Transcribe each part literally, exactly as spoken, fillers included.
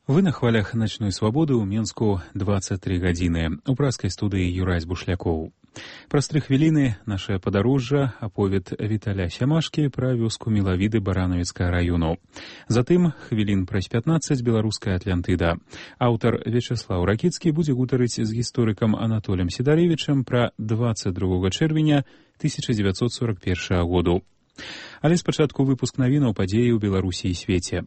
Вы на хвалях «Ночной свободы» ў Менску двадцать три гадзіны. У праскай студыі Юрась Бушлякоў. Праз тры хвіліны наше падарожжа аповед Віталя Сямашкі пра вёску Мелавіды Баранавіцкага раёну. Затым хвілін праз пятнаццаць беларуская Атлантыда. Аўтар Вячаслаў Ракіцкі будзе гутарыць з гісторыкам Анатолем Сідарэвічам пра двадцать другога чэрвеня тысяча дзевяцьсот сорок первага году. Але спачатку выпуск навінаў падзеі ў Беларусі і свеце.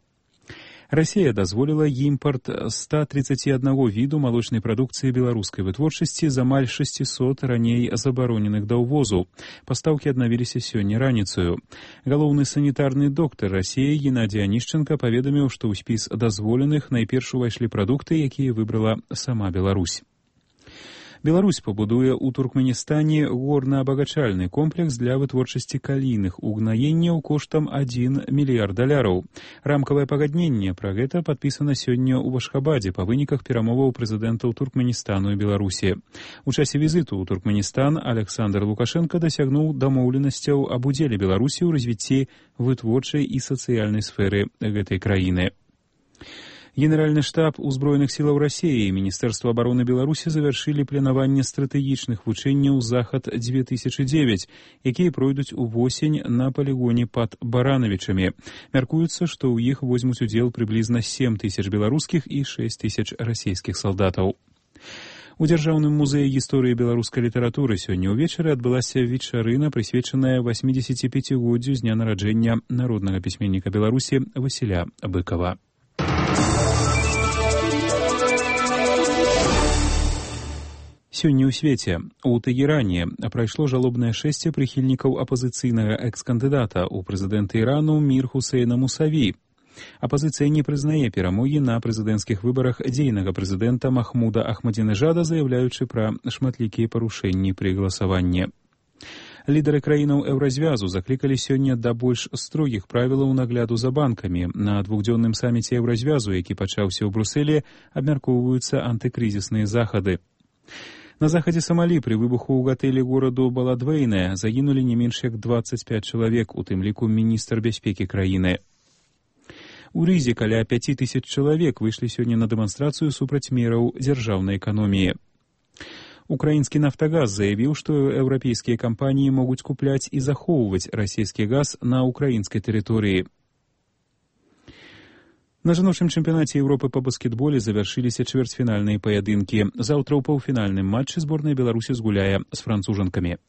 Расія дазволіла імпарт ста тридцати одного віду малочнай прадукцыі беларускай вытворчасці з амаль шестисот раней забароненых да ўвозу. Пастаўкі аднавіліся сёння раніцаю. Галоўны санітарны доктар Расіі Геннадзій Анішченка паведаміў, што ў спіс дазволеных найперш увайшлі прадукты, якія выбрала сама Беларусь. Беларусь пабудуе ў Туркменістане горна-абагачальны комплекс для вытворчасці калійных угнаенняў коштам адзін мільярд даляраў. Рамкавае пагадненне пра гэта падпісана сёння ў Ашхабадзе па выніках перамоваў прэзідэнтаў Туркменістану і Беларусі. У часе візіту ў Туркменістан Александр Лукашенко дасягнуў дамоўленасцяў аб удзеле Беларусі ў развіцці вытворчай і сацыяльнай сферы гэтай краіны. Генеральны штаб узброеных сілаў Расіі і Міністэрства абароны Беларусі завяршылі планаванне стратэгічных вучэнняў «Захад две тысячи девять», якія пройдуць увосень на палігоне пад Баранавічамі. Мяркуецца, што ў іх возьмуць удзел прыблізна сем тысяч беларускіх і шэсць тысяч расійскіх салдатаў. У Дзяржаўным музеі гісторыі беларускай літаратуры сёння ўвечары адбылася вечарына, прысвечаная восьмідзесяціпяцігоддзю з дня нараджэння народнага пісьменніка Беларусі Васіля Быкава. Сёння ў свеце. У Тэгеране прайшло жалобнае шэсце прыхільнікаў апазіцыйнага экс-кандыдата ў прэзідэнты Ірану Мір Хусейна Мусаві. Апазіцыя не прызнае перамогі на прэзідэнцкіх выбарах дзейнага прэзідэнта Махмуда Ахмадзінежада, заяўляючы пра шматлікія парушэнні пры галасаванні. Лідары краінаў Еўразвязу заклікалі сёння да больш строгіх правілаў нагляду за банкамі. На двухдзённым саміце Еўразвязу, які пачаўся ў Брусэлі, абмяркоўваюцца антыкрызісныя захады. На захадзе Самалі пры выбуху ў гатэлі гораду Баладвейне загінулі не менш як двадцать пять чалавек, у тым ліку міністр бяспекі краіны. У Рызе каля пяць тысяч чалавек выйшлі сёння на дэманстрацыю супраць мераў дзяржаўнай эканоміі. Украінскі «Нафтагаз» заявіў, што еўрапейскія кампаніі могуць купляць і захоўваць расійскі газ на украінскай тэрыторыі. На жаночым чэмпіянаце Еўропы па баскетболе завяршыліся чвэрцьфінальныя паядынкі. Заўтра ў паўфінальным матчы зборная Беларусі згуляе з францужанкамі.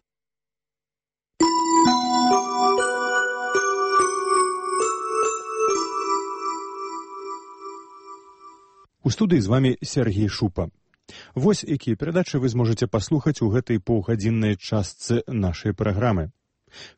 У студыі з вамі Сергей Шупа. Вось якія перадачы вы зможаце паслухаць у гэтай паўгадзіннай частцы нашай праграмы.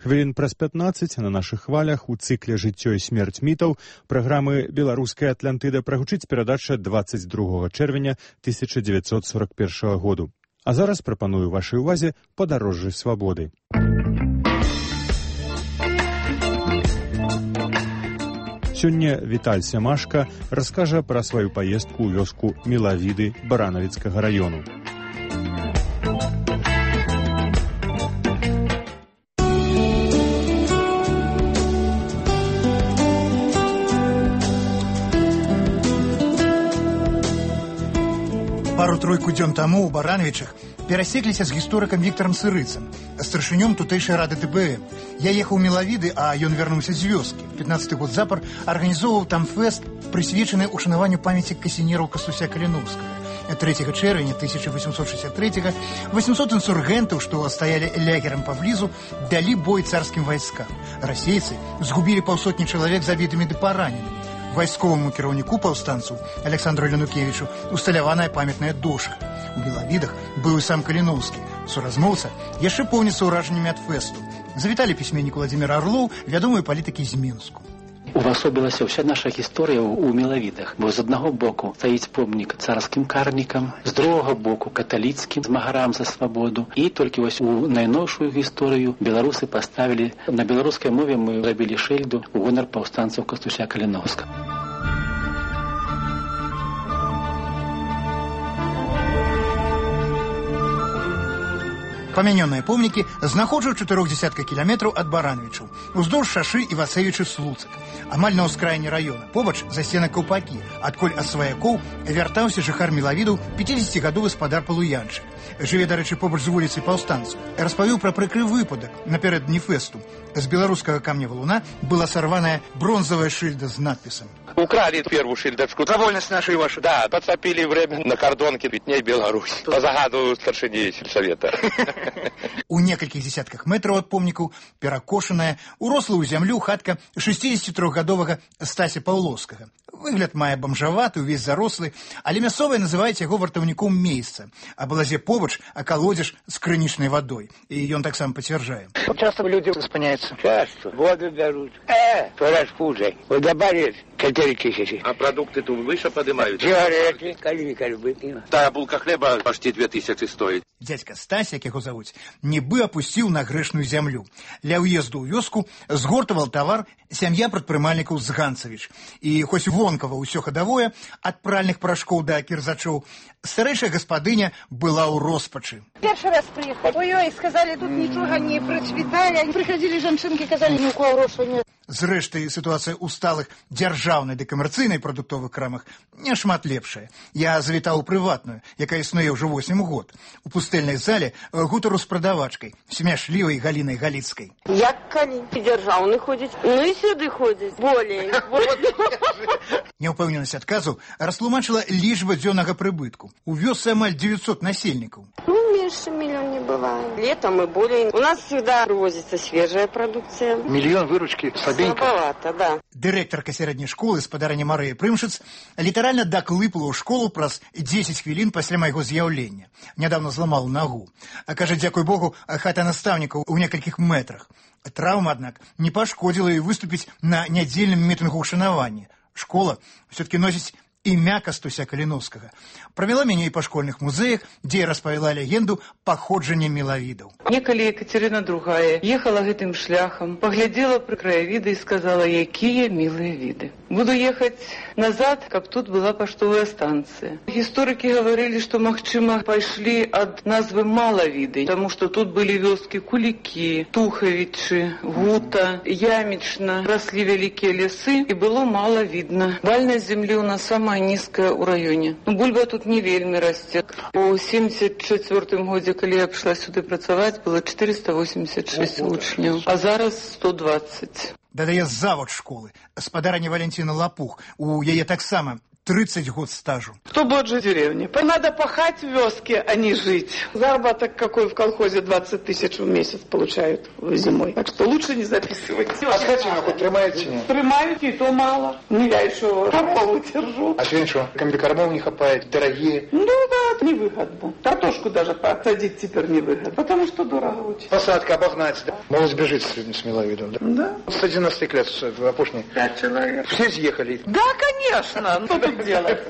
Хвілін праз пятнаццаць на нашых хвалях у цыкле «Жыццё і смерць мітаў» праграмы «Беларуская Атлантыда» прагучыць перадача двадцать другога чэрвеня тысяча дзевяцьсот сорок первага году. А зараз прапаную вашай увазе «Падарожжы свабоды». Сёння Віталь Сямашка раскажа пра сваю паездку ў вёску Мелавіды Баранавіцкага раёну. Пару-тройку дзён таму ў Баранавічах перасекліся з гісторыкам Віктарам Сырыцам, старшынём тутэйшай рады тэ бэ эм. Я ехаў у Мелавіды, а ён вярнуўся з вёскі. пятнаццаты год запар арганізоўваў там фэст, прысвечаны ушанаванню памяці касінераў Кастуся Каліноўскага. трэцяга чэрвеня тысяча восемьсот шестьдесят третьего восемьсот інсургентаў, што стаялі лягерам паблізу, далі бой царскім вайскам. Расейцы згубілі паўсотні чалавек забітымі ды параненымі. Вайсковаму кіраўніку паўстанцаў Александру Ленукевічу усталяваная памятная дошка. У Белавідах быў і сам Каліноўскі. Суразмоўца яшчэ поўніцца ўражаннямі ад фэсту. Завіталі пісьменнік Владзімір Арлоў, вядомыя палітыкі з Мінску. Увасобілася ўся наша гісторыя ў Мелавідах, бо з аднаго боку стаіць помнік царскім карнікам, з другога боку каталіцкім змагарам за свабоду, і толькі вось у найноўшую гісторыю беларусы паставілі, на беларускай мове мы зрабілі шыльду ў гонар паўстанцаў Кастуся Каліноўскага. Памянёныя помнікі знаходжу ў чатырох дзесятках кіламетраў ад Барановічаў, уздоўж шашы Івацевічы-Слуцак, амаль на ўскраіне раёна, побач засцена Каўпакі, адкуль ад сваякоў вяртаўся жыхар Мелавідаў пяцідзесяцігадовы спадар Палуянчык. Жыве, дарэчы, побач з вуліцай Паўстанцаў. Распавіў пра прыкры выпадак напярэдадні фэсту. З беларускага камня валуна была сарваная бронзавая шыльда з надпісам. Украли первую шильдочку. За вольность нашу и вашу. Да, подцепили время на кордонке Пятней Беларусь. По загаду старшині сельсовета. У некалькіх десятках метраў ад помнікаў перакошаная, уросла ў зямлю хатка шэсцідзесяцітрохгадовага Стася Паўлоўскага. Выгляд мае бомжаваты, увесь зарослы, але мясцовыя называюць яго вартаўніком месяца. А балазе побач акалодзіш з крынічнай вадой. І ён таксама пацвярджае. Часто люди спыняются. Часто. Воду берут. Э, распуджай. Вот добавили четыре тысячи. А продукты тут выше поднимают? Сигареты, кальви-кальви. Да, булка хлеба почти две тысячи стоит. Дядька Стась, як яго завуць, нібы апусціў на грэшную зямлю. Ля ўезду ў вёску згортавал тавар сям'я прадпрымальнікаў з Ганцавіч. І хоць вонкава ўсё хадавое, ад пральных парашкоў да кірзачоў, старэйшая гаспадыня была ў роспачы. Першы раз прыехалі. Ой-ой, сказалі, тут нічога не працвітае. Прыходзілі жанчынкі, казалі, ні ў кого грошай нет. Зрэшты, сітуацыя ў сталых дзяржаўнай ды камерцыйнай прадуктовых крамах няшмат лепшая. Я завітаў у прыватную, якая існуе ўжо восем год. У пустэльнай зале гутару з прадавачкай, смяшлівай Галінай Галіцкай. Як калі дзяржаўны ходзіць, ну і сюды ходзіць, болей. Няўпэўненасць адказу растлумачыла лічба дзённага прыбытку. У вёсцы амаль девятьсот насельнікаў. Ну, меньше миллион не бывает. Летом и более. У нас всегда привозится свежая продукция. Миллион выручки слабенько. Слабовато, да. Дырэктарка сярэдняй школы спадарыня Марыя Прымшыц літаральна даклыпала ў школу праз дзесяць хвілін пасля майго з'яўлення. Нядаўна зламала нагу. А кажа, дзякуй Богу, хата настаўнікаў у некалькіх метрах. Траўма, аднак, не пашкодзіла і выступіць на нядзельным мітынгу ўшанавання. Школа ўсё-таки носіць імя Кастуся Каліновскага. Правяла мяне і па школьных музеях, дзе я распавяла легенду паходжання мелавідаў. Некалі Екатерина другая ехала гэтым шляхам, паглядзела пры краявіды і сказала, якія мілыя віды. Буду ехаць назад, каб тут была паштовая станцыя. Гісторыкі гаварылі, што, магчыма, пайшлі ад назвы Малавіды, таму што тут былі вёскі Кулікі, Тухавічы, Гута, Ямічна, раслі вялікія лясы і было мала відна. Вальнасць землі ў нас сама нізкая ў раёне. Ну, бульба тут не вельмі расце. У семьдесят четвёртым годзе, калі я прыйшла сюды працаваць, было четыреста восемьдесят шесть вучняў, а зараз сто двадцать. Дадае завод школы, спадарыня Валентина Лапух, у яе таксама тридцать год стажу. Кто будет жить в деревне? Надо пахать в вёске, а не жить. Заработок какой в колхозе двадцать тысяч в месяц получают зимой. Так что лучше не записывать. А скотину хоть тримаете? Тримають, и то мало. Не я еще корову держу. А сегодня что, комбикормов не хапает, дорогие? Ну да, это невыгодно. Картошку даже посадить теперь невыгодно, потому что дорого очень. Посадка обогнать, да? Молодь бежит с миловидом, да? Да. С одиннадцати лет, в опушне. Пять человек. Все съехали? Да, конечно. Что тут делать?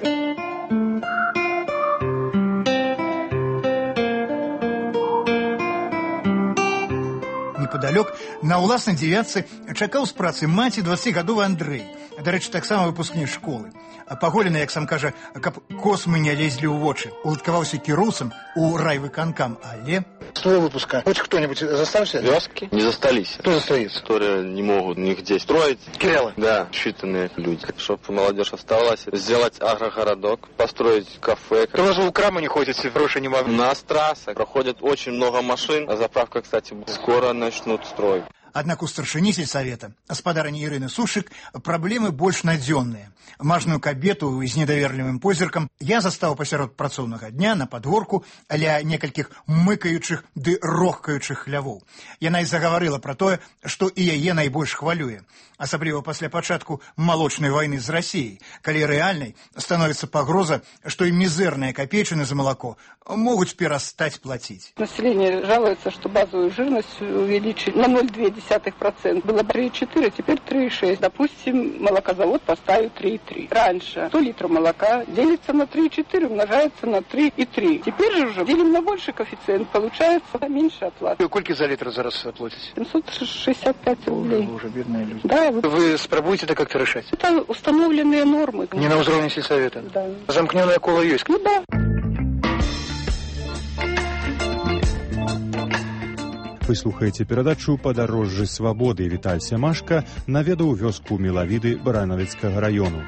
Непадалёк на ўласнай дзевятцы чакаў з працы маці дваццацігадовы Андрэй, дарэчы, таксама выпускнік школы. Паголены, як сам кажа, каб космы не лезлі ў вочы. Уладкаваўся кіроўцам у райвыканкам, але... С твоего выпуска хоть кто-нибудь застался? Вёски не застались. Кто застается? Которые не могут нигде строить. Кириллы? Да, считанные люди. Чтобы молодежь оставалась, сделать агрогородок, построить кафе. Кто же в краму не ходите, гроши не могут? У нас трасса проходит очень много машин, а заправка, кстати, скоро начнут строить. Аднак у старшыні сельсавета, спадарыні Ірыны Сушык, праблемы больш надзённыя. Мажную кабету з недаверлівым позіркам я застаў пасярод працоўнага дня на падворку ля некалькіх мыкаючых ды рохкаючых хлявоў. Яна і загаварыла пра тое, што і яе найбольш хвалюе. Асабліва пасля пачатку малочнай вайны з Расіяй, калі рэальнай становіцца пагроза, што і мізэрныя капейчыны за малако могуць перастаць плаціць. Население жалуется, что базовую жирность увеличить на ноль целых две десятых процента. Было три и четыре, теперь три и шесть. Допустим, молокозавод поставил три и три. Раньше сто литров молока делится на три и четыре, умножается на три и три. Теперь же уже делим на больший коэффициент, получается меньше оплаты. Сколько за литр зараз платите? семьсот шестьдесят пять рублей. Вы уже бедные люди. Да. Вы спробуете это как-то решать? Это установленные нормы. Не на уровне сельсовета? Да. Замкненное коло есть? Ну да. Вы слухаеце перадачу «Падарожжы свабоды». Віталь Сямашка наведаў вёску Мелавіды Баранавіцкага раёну.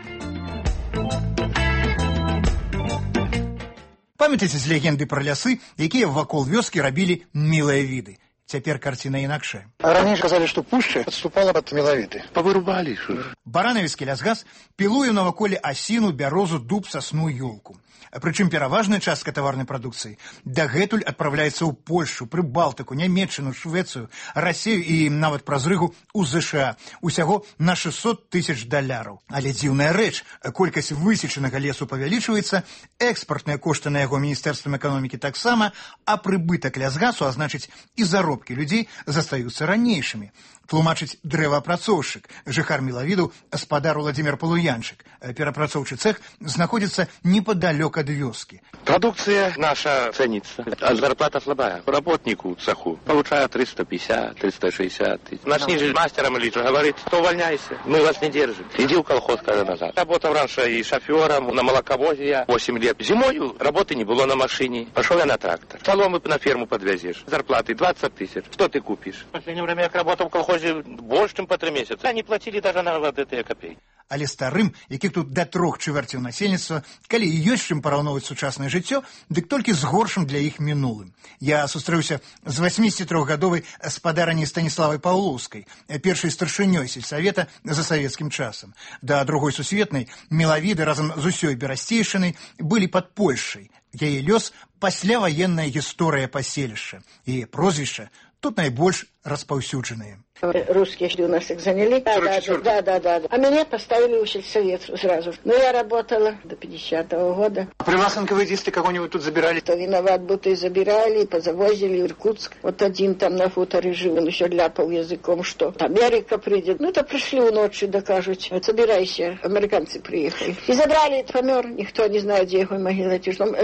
Памятаеце з легенды пра лясы, якія вакол вёскі рабілі мілыя віды? Цяпер карціна інакшая. Раней казалі, што пушча адступала ад Мелавіды. Павырубалі. Баранавіцкі лясгас пілуе наваколе асіну, бярозу, дуб, сасну, ёлку. Прычым пераважная частка таварнай прадукцыі дагэтуль адпраўляецца ў Польшу, Прыбалтыку, Нямецчыну, Швецыю, Расею і нават праз Рыгу ў ЗША. Усяго на шэсцьсот тысяч даляраў. Але дзіўная рэч, колькасць высечанага лесу павялічваецца, экспартныя кошты на яго міністэрствам эканомікі таксама, а прыбытак лясгасу, а значыць і заробкі людзей застаюцца ранейшымі. Тлумачыць дрэваапрацоўшчык, жыхар Мелавіду, спадар Уладзімір Палуянчык. Перапрацоўчы цэх знаходзіцца непадалёк ад вёскі. Продукция наша ценится, а зарплата слабая. Работнику цеху получаю триста пятьдесят — триста шестьдесят тысяч. Начни же мастером или что, говорит, то увольняйся, мы вас не держим. Иди в колхоз, скажи назад. Работал раньше и шофером на молоковозе я восемь лет. Зимою работы не было на машине. Пошел я на трактор. Соломы на ферму подвезешь. Зарплаты двадцать тысяч. Что ты купишь? В последнее время я работал в колхозе больше, чем по три месяца. Они платили даже на вот эти копейки. Але старым, якіх тут да трох чвэрцяў насельніцтва, калі і ёсць чым параўноўваць сучаснае жыццё, дык толькі з горшым для іх мінулым. Я сустрэўся з васьмідзесятитрохгадовай спадараняй Станіславай Паўлоўскай, першай старшынёй сельсавета за савецкім часам. Да другой сусветнай Мелавіды разам з усёй берасцейшынай былі пад Польшай. Яе лёс пасляваенная гісторыя паселішча. Яе прозвішча тут найбольш распаўсюджаныя. Русские у нас их заняли. Да, да, да, да, да, да. А меня поставили в сельсовет сразу. Но я работала до пятидесятого года. А при вас НКВДисты кого-нибудь тут забирали? Кто виноват, будто и забирали, и позавозили в Иркутск. Вот один там на хуторе жил, он еще ляпал языком, что Америка придет. Ну, то пришли у ночи, докажут. Собирайся, американцы приехали. И забрали, помер, никто не знает, где его могила.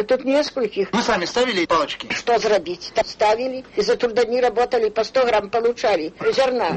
Тут нескольких. Вы сами ставили палочки? Что зробить? Ставили, и за трудодни работали, по сто грамм получали зерна. Як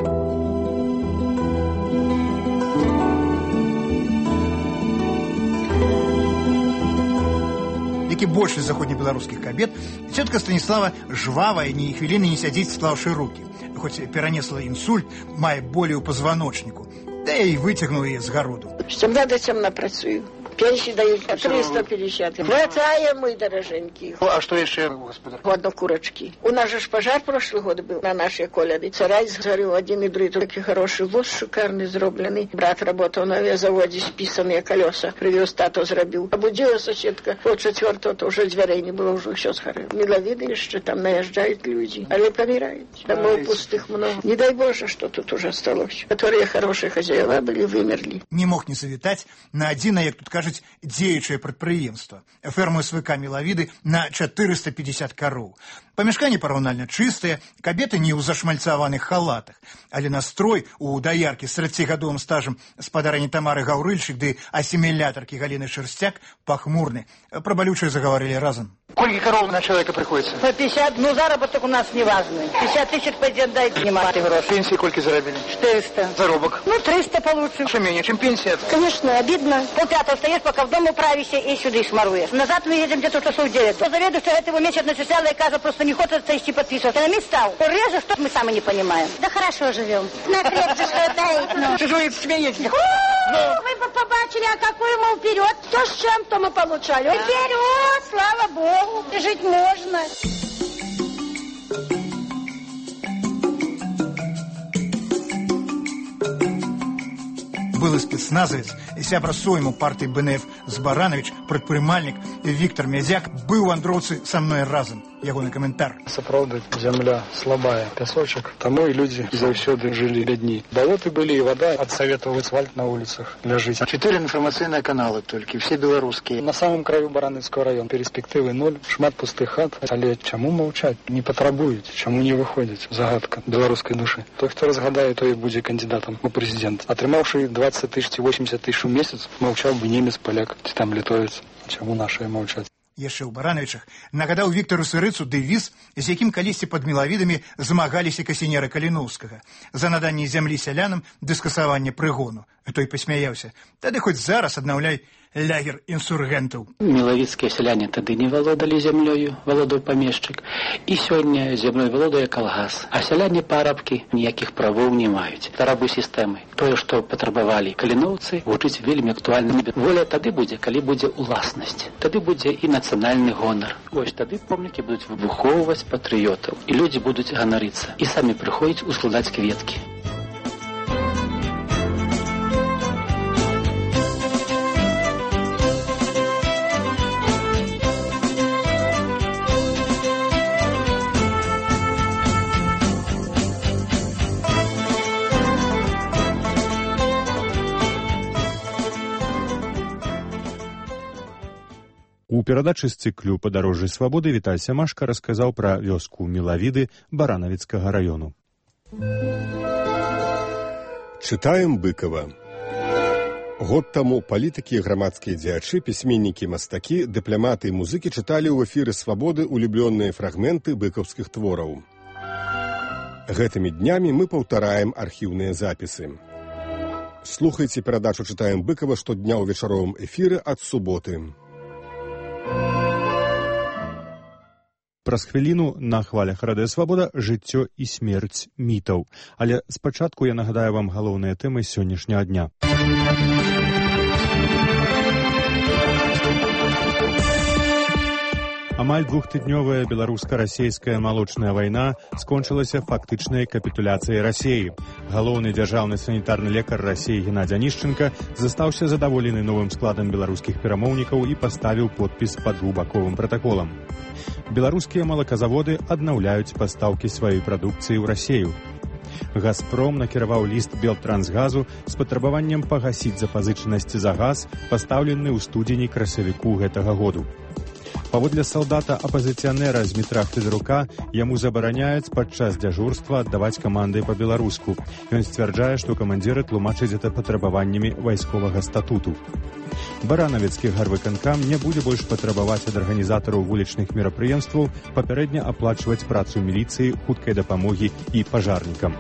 і большасць заходнебеларускіх кабет, цётка Станіслава жвавая, ні хвіліны не сядзіць, склаўшы рукі. Хоць перанесла інсульт, мае болі ў пазваночніку, да і выцягнуў яе з гароду. З цемна да цемна працую. Пенсии дают триста пятьдесят. Хватаем мы, дороженькие. А что еще, господа? Ладно, курочки. У нас же пожар прошлый год был на нашей колябе. Сарай сгорел один и другой. Такой хороший воз шикарный, зробленный. Брат работал на авиазаводе, списанные колеса. Привез, тато зробил. Обудила соседка. Вот четвертого, то уже дверей не было, уже все сгорело. Мелавиды, что там наезжают люди. Але помирают. Домов пустых много. Не дай Боже, что тут уже осталось. Которые хорошие хозяева были, вымерли. Не мог не завітаць на адзінае, як тут кажуць, дзеючае прадпрыемства. Ферму СВК Мелавіды на четыреста пятьдесят кароў. Памяшканне параўнальна чыстыя, кабеты не ў зашмальцаваных халатах, але настрой у даяркі з тридцатигадовым стажам спадарыні Тамары Гаўрыльчык ды асімілятаркі Галіны Шерстяк пахмурны. Пра балючае загаварылі разам. Сколько коров на человека приходится? По пятьдесят, ну заработок у нас не важный. пятьдесят тысяч пойдет, дай снимать гроши. Пенсии сколько заробили? четыреста. Заробок? Ну, триста получим. Что менее, чем пенсия? Конечно, обидно. Полпятого встаешь, пока в дом управишься и сюда шмаруешь. Назад мы едем где-то часов девять. Заведующий этого месяца начисляла и кажется, просто не хочет идти подписывать. Экономист стал. Реже, что мы сами не понимаем. Да хорошо живем. На крепче хватает. Чужой смеетесь. Вы бы побачили, а какую мы вперед. То с чем, то мы получали. Вперед, слава Богу. Жить можно. Былы спецназавец, сябра сойму партыі БНФ Збаранович, прадпрымальнік Віктор Мязяк быў у вандроўцы са мной разам. Ягоны каментар. Сапраўды, зямля слабая, пясочак, таму і людзі заўсёды жылі бядней. Балоты былі і вада, ад саветаў асфальт на улицах ляжыць. Четыре информационные каналы только, все белорусские. На самом краю Баранавіцкага района перспектывы ноль, шмат пустых хат. Але чаму маўчаць? Не патрабуюць, чаму не выходзяць? Загадка беларускай душы. Той, хто разгадае, той будзе кандидатам у прэзідэнт. Атрымаўшы двадцать тысяч ці восемьдесят тысяч у месяц, маўчаў бы немец, паляк ці там літовец. Чаму нашыя маўчаць? Яшчэ ў Барановичах нагадаў Віктару Сырыцу дэвіз, з якім калісьці пад Мелавідамі змагаліся касінеры Каліноўскага за наданне зямлі сялянам ды скасаванне прыгону. Той пасмяяўся. Тады хоць зараз аднаўляй лягер інсургентаў. Мілавіцкія сяляне тады не валодалі зямлёю, валодаў памешчык, і сёння зямлёй валодае калгас. А сяляне парабкі ніякіх правоў не маюць. Рабы сістэмы. Тое, што патрабавалі каліноўцы, гучыць вельмі актуальна. Воля тады будзе, калі будзе уласнасць. Тады будзе і нацыянальны гонар. Вось тады помнікі будуць выбухоўваць патрыётаў, і людзі будуць ганарыцца, і самі прыходзяць ускладаць кветкі. У перадачы з цыклю «Падарожжы свабоды» Віталь Сямашка расказаў пра вёску Мілавіды Баранавіцкага раёну. Чытаем Быкова. Год таму палітыкі, грамадскія дзеячы, пісьменнікі, мастакі, дыпламаты і музыкі чыталі ў эфіры свабоды улюблёныя фрагменты быкаўскіх твораў. Гэтымі днямі мы паўтараем архіўныя запісы. Слухайце перадачу «Чытаем Быкова» штодня ў вечаровым эфіры ад суботы. Праз хвіліну на хвалях Радыё Свабода жыццё і смерць мітаў. Але спачатку я нагадаю вам галоўныя тэмы сённяшняга дня. Амаль двухтыднёвая беларуска-расейская малочная вайна скончылася фактычнай капітуляцыяй Расіі. Галоўны дзяржаўны санітарны лекар Расіі Геннадзь Анішченка застаўся задаволены новым складам беларускіх перамоўнікаў і паставіў подпіс пад двухбаковым пратаколам. Беларускія малаказаводы аднаўляюць пастаўкі сваёй прадукцыі ў Расію. «Газпром» накіраваў ліст «Белтрансгазу» з патрабаваннем пагасіць запазычанасці за газ, пастаўлены ў студзені-красавіку гэтага году. Паводле салдата апазіцыянера Змітра Федарука, яму забараняюць падчас дзяжурства аддаваць каманды па-беларуску. Ён сцвярджае, што камандзіры тлумачаць гэта патрабаваннямі вайсковага статуту. Баранавіцкі гарвыканкам не будзе больш патрабаваць ад арганізатараў вулічных мерапрыемстваў папярэдня аплачваць працу міліцыі, хуткай дапамогі і пажарнікам.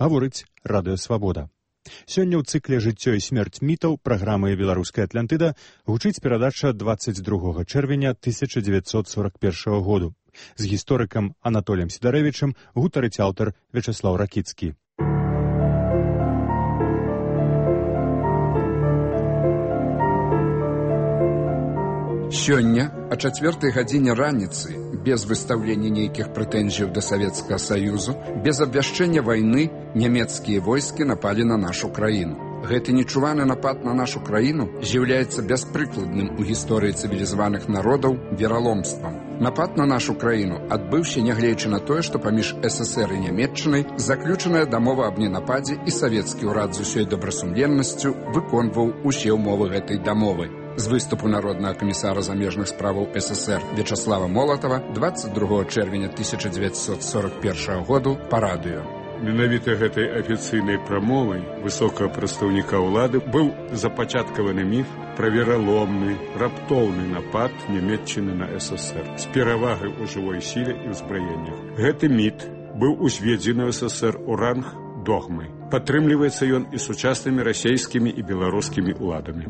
Гаворыць Радыё Свабода. Сёння ў цыкле «Жыццё і смерць мітаў» праграмы «Беларуская Атлантыда» гучыць перадача дваццаць другога чэрвеня тысяча дзевяцьсот сорок першага году. З гісторыкам Анатоліем Сідарэвічам гутарыць аўтар Вячаслаў Ракіцкі. Сёння, о чацвёртай гадзіне раніцы, без выстаўлення нейкіх прэтэнзіяў да Савецкага Саюзу, без абвяшчэння вайны, нямецкія войскі напалі на нашу краіну. Гэты нечуваны напад на нашу краіну з'яўляецца бяспрыкладным у гісторыі цывілізаваных народаў вераломствам. Напад на нашу краіну адбыўся, нягледзячы на тое, што паміж ССР і Нямецчынай заключаная дамова аб ненападзе, і савецкі ўрад з усёй добрасумленнасцю выконваў усе ўмовы гэтай дамовы. З выступу народнага камісара замежных справаў ССР Вячаслава Молатава дваццаць другога чэрвеня тысяча дзевяцьсот сорок першага году па радыё. Менавіта гэтай афіцыйнай прамовай высокага прадстаўніка ўлады быў запачаткаваны міф пра вераломны, раптоўны напад Нямецчыны на ССР з перавагай у жывой сіле і ўзбраеннях. Гэты міт быў узведзены ў ССР у ранг догмы. Падтрымліваецца ён і сучаснымі расійскімі і беларускімі ўладамі.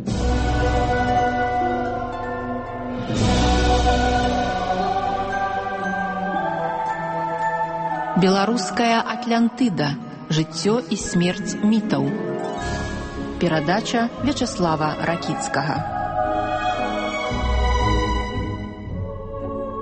Беларуская Атлантыда. Жыццё і смерць мітаў. Перадача Вячаслава Ракіцкага.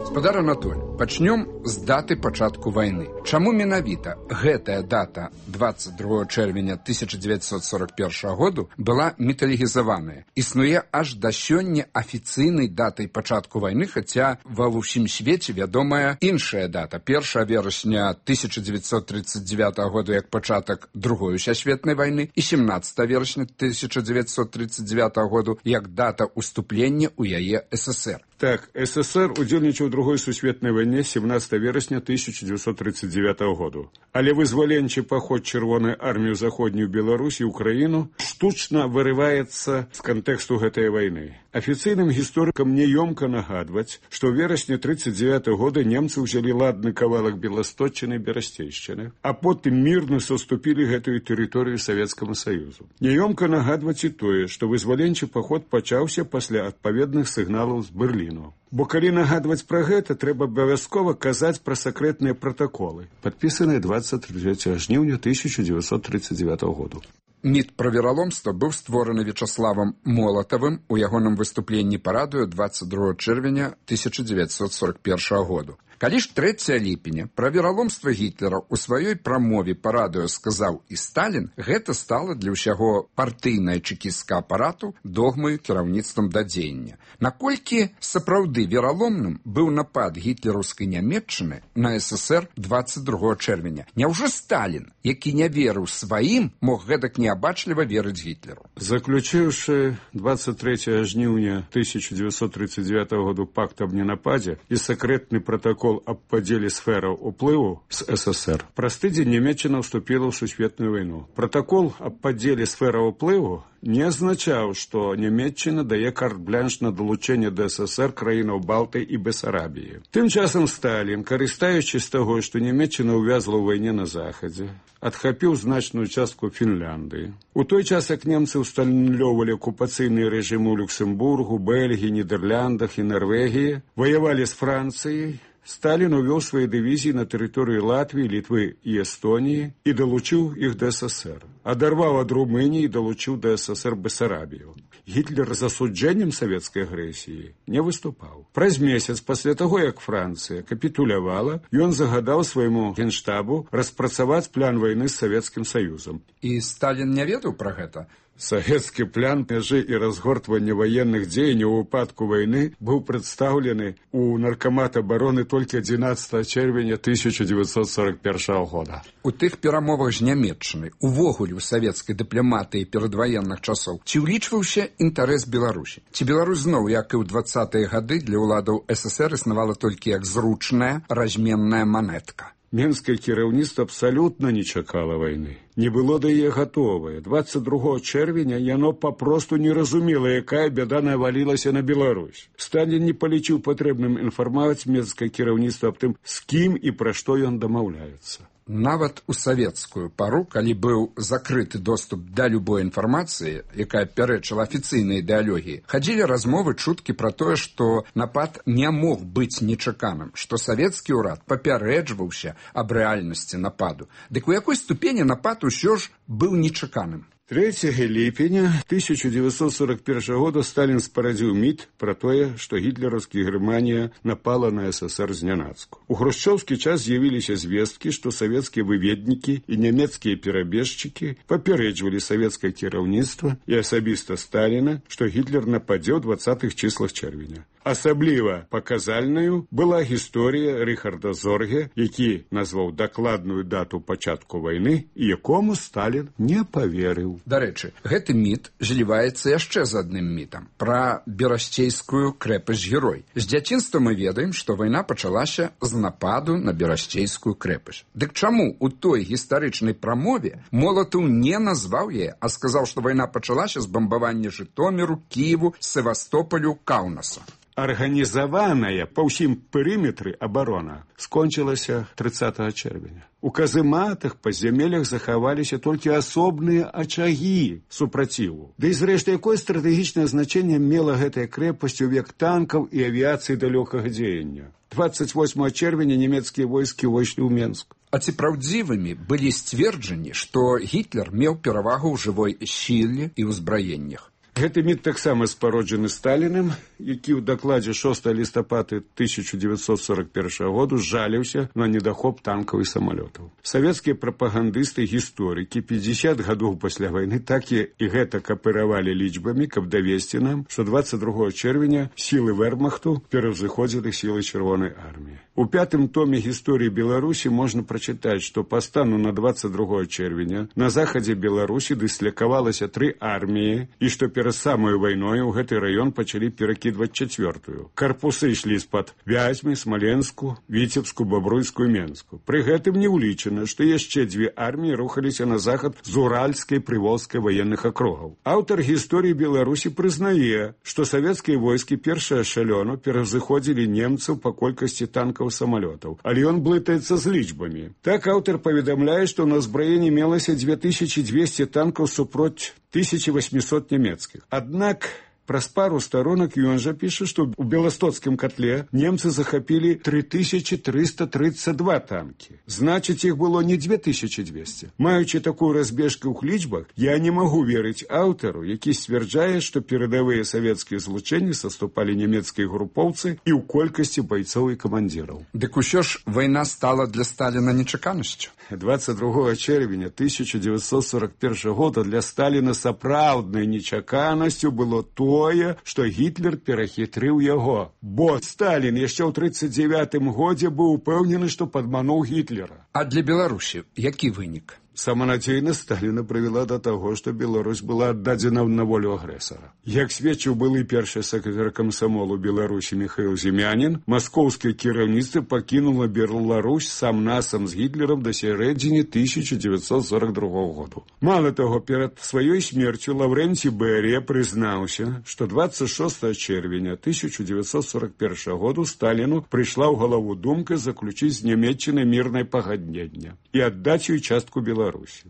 Гаспадар Анатоль, пачнём з даты пачатку вайны. Чаму менавіта гэтая дата дваццаць другога чэрвеня тысяча дзевяцьсот сорок першага году была міталігізаваная? Існуе аж да сёння афіцыйнай датай пачатку вайны, хаця ва ўсім свеце вядомая іншая дата. першага верасня тысяча дзевяцьсот тридцать девятага году як пачатак другой сусветнай вайны і семнадцатага верасня тысяча дзевяцьсот тридцать девятага году як дата ўступлення ў яе ССР. Так, СССР удзельнічаў у другой сусветнай вайне семнадцатага тринадцатага верасня тысяча девятьсот тридцать девятого году. Але вызваленчы паход чырвонай арміі ў заходнюю Беларусь і Украіну штучна вырываецца з кантэксту гэтай вайны. Афіцыйным гісторыкам няёмка нагадваць, што ў верасні тридцать девятого года немцы ўзялі ладны кавалак Беласточчыны і Берасцейшчыны, а потым мірна саступілі гэтую тэрыторыю Савецкаму Саюзу. Няёмка нагадваць і тое, што вызваленчы паход пачаўся пасля адпаведных сігналаў з Берліну. Бо калі нагадваць пра гэта, трэба абавязкова казаць пра сакрэтныя пратаколы, падпісаныя двадцать третьего жніўня тысяча девятьсот тридцать девятого году. Міт пра вераломства быў створаны Вячаславам Молатавым у ягоным выступленні па радыё двадцать другого чэрвеня тысяча девятьсот сорок первого году. Калі ж трэцяга ліпеня пра вераломства Гітлера ў сваёй прамове па радыё сказаў і Сталін, гэта стала для ўсяго партыйнае чэкісцкага апарату догмаю кіраўніцтвам да дзеяння. Наколькі сапраўды вераломным быў напад гітлераўскай Нямецчыны на СССР двадцать другого чэрвеня? Няўжо Сталін, які не верыў сваім, мог гэтак неабачліва верыць Гітлеру? Заключыўшы двадцать третьего жніўня тысяча девятьсот тридцать девятого году пакт аб ненападзе і сакрэтны пратакол аб падзеле сфераў уплыву з СССР, праз тыдзень Нямецчына ўступіла ў сусветную вайну. Пратакол аб падзеле сфераў уплыву не азначаў, што Нямецчына дае карт-блянш на далучэнне да СССР краінаў Балты і Бесарабіі. Тым часам Сталін, карыстаючыся з таго, што Нямецчына ўвязла ў вайне на захадзе, адхапіў значную частку Фінляндыі. У той час, як немцы ўсталювалі акупацыйныя рэжымы ў Люксембургу, Бельгіі, Нідерландах і Нарвегіі, ваявалі з Францыяй, Сталін увёў свае дывізіі на тэрыторыі Латвіі, Літвы і Эстоніі і далучыў іх да СССР. Адарваў ад Румыніі і далучыў да СССР Бесарабію. Гітлер з асуджэннем савецкай агрэсіі не выступаў. Праз месяц пасля таго, як Францыя капітулявала, ён загадаў свайму генштабу распрацаваць план вайны з Савецкім Саюзам. І Сталін не ведаў пра гэта? Савецкі план мяжы і разгортвання ваенных дзеянняў у выпадку вайны быў прадстаўлены ў Наркамат абароны толькі адзінаццатага чэрвеня тысяча девятьсот сорок первого года. У тых перамовах з Нямецчынай увогуле ў савецкай дыпламатыі перадваенных часоў ці ўлічваўся інтарэс Беларусі? Ці Беларусь зноў, як і ў двадцатыя гады, для ўладаў СССР існавала толькі як зручная разменная манетка? Менскае кіраўніцтва абсалютна не чакала вайны. Не было да яе гатовае. двадцать другого чэрвеня яно папросту не разумела, якая бяда навалілася на Беларусь. Сталін не палічыў патрэбным інфармаваць менскае кіраўніцтва аб тым, з кім і пра што ён дамаўляецца. Нават у савецкую пару, калі быў закрыты доступ да любой інфармацыі, якая пярэчыла афіцыйнай ідэалогіі, хадзілі размовы, чуткі пра тое, што напад не мог быць нечаканым, што савецкі ўрад папярэджваўся аб рэальнасці нападу. Дык у якой ступені напад усё ж быў нечаканым? трэцяга ліпеня тысяча девятьсот сорок первого года Сталін спарадзіў міт пра тое, што гітлераўскі Германія напала на СССР знянацку. У хрушчоўскі час з'явіліся звесткі, што савецкія выведнікі і нямецкія перабежчыкі папярэджвалі савецкае кіраўніцтва і асабіста Сталіна, што Гітлер нападзе ў двадцатых числах чэрвеня. Асабліва паказальнаю была гісторыя Рыхарда Зорге, які назваў дакладную дату пачатку вайны і якому Сталін не паверыў. Дарэчы, гэты міт зліваецца яшчэ з адным мітам пра Берасцейскую крэпасць-герой. З дзяцінства мы ведаем, што вайна пачалася з нападу на Берасцейскую крэпасць. Дык чаму у той гістарычнай прамове Молатаў не назваў яе, а сказаў, што вайна пачалася з бамбавання Жытоміру, Кіеву, Севастополю, Каўнаса? Арганізаваная па ўсім перыметры абарона скончылася тридцатого чэрвеня. У казематах па зямелях захаваліся толькі асобныя ачагі супраціву. Ды і зрэшты, якое стратэгічнае значэнне мела гэтая крэпасць у век танкаў і авіяцыі далёкага дзеяння? двадцать восьмого чэрвеня нямецкія войскі ўвайшлі ў Менск. А ці праўдзівымі былі сцверджанні, што Гітлер меў перавагу ў жывой сіле і ўзбраеннях? Гэты міт таксама спароджаны Сталінам, які ў дакладзе шостага лістапада тысяча девятьсот сорок первого году жаліўся на недахоп танкаў і самалётаў. Савецкія прапагандысты, гісторыкі пятьдесят гадоў пасля вайны так і гэтак аперавалі лічбамі, каб давесці нам, што двадцать другого чэрвеня сілы Вермахту пераўзыходзілі сілы Чырвонай арміі. У пятым томе гісторыі Беларусі можна прачытаць, што па стану на двадцать другого чэрвеня на захадзе Беларусі дыслякавалася тры арміі і што перад самой вайной у гэты раён пачалі перакідваць чацвёртую. Карпусы ішлі з-пад Вязьмы, Смаленску, Віцебску, Бабруйскую, Менску. Пры гэтым не ўлічана, што яшчэ дзве арміі рухаліся на захад з Уральскай, Прыволжскай ваенных акругаў. Аўтар гісторыі Беларусі прызнае, што савецкія войскі першая шалёну пераўзыходзілі немцаў па колькасці танкаў і самалётаў, але ён блытаецца з лічбамі. Так аўтар паведамляе, што на ўзбраенні мелася дзве тысячы дзвесце танкаў супроць тысячи восьмисот немецких. Однако праз пару сторонок ён жа піша, што ў Беластоцкім котле немцы захапілі три тысячи триста тридцать два танки. Значыць, іх было не две тысячи двести. Маючы такую разбежку ў лічбах, я не магу верыць аўтару, які сцвярджае, што перадавыя савецкія злучэнні саступалі нямецкія групоўцы і ў колькасці байцоў і камандзіраў. Дык усё ж вайна стала для Сталіна нечаканасцю. двадцать другого чэрвеня тысяча девятьсот сорок первого года для Сталіна сапраўднай нечаканасцю было тое, што Гітлер перахітрыў яго. Бо Сталін яшчэ ў тридцать девятым годзе быў упэўнены, што падмануў Гітлера. А для Беларусі які вынік? Саманадзейнасць Сталіна прывяла да таго, што Беларусь была аддадзена на волю агрэсара. Як сведчыў былы першы сакратар камсамолу Беларусі Міхаіл Зімянін, маскоўскае кіраўніцтва пакінула Беларусь сам-насам з Гітлерам да сярэдзіны тысяча девятьсот сорок другого году. Мало таго, перад сваёй смерцю Лаўрэнцій Берыя прызнаўся, што двадцать шестого чэрвеня тысяча девятьсот сорок первого году Сталіну прыйшла ў галаву думка заключыць з Нямецчынай мірнае пагадненне і аддаць ёй частку Беларусі.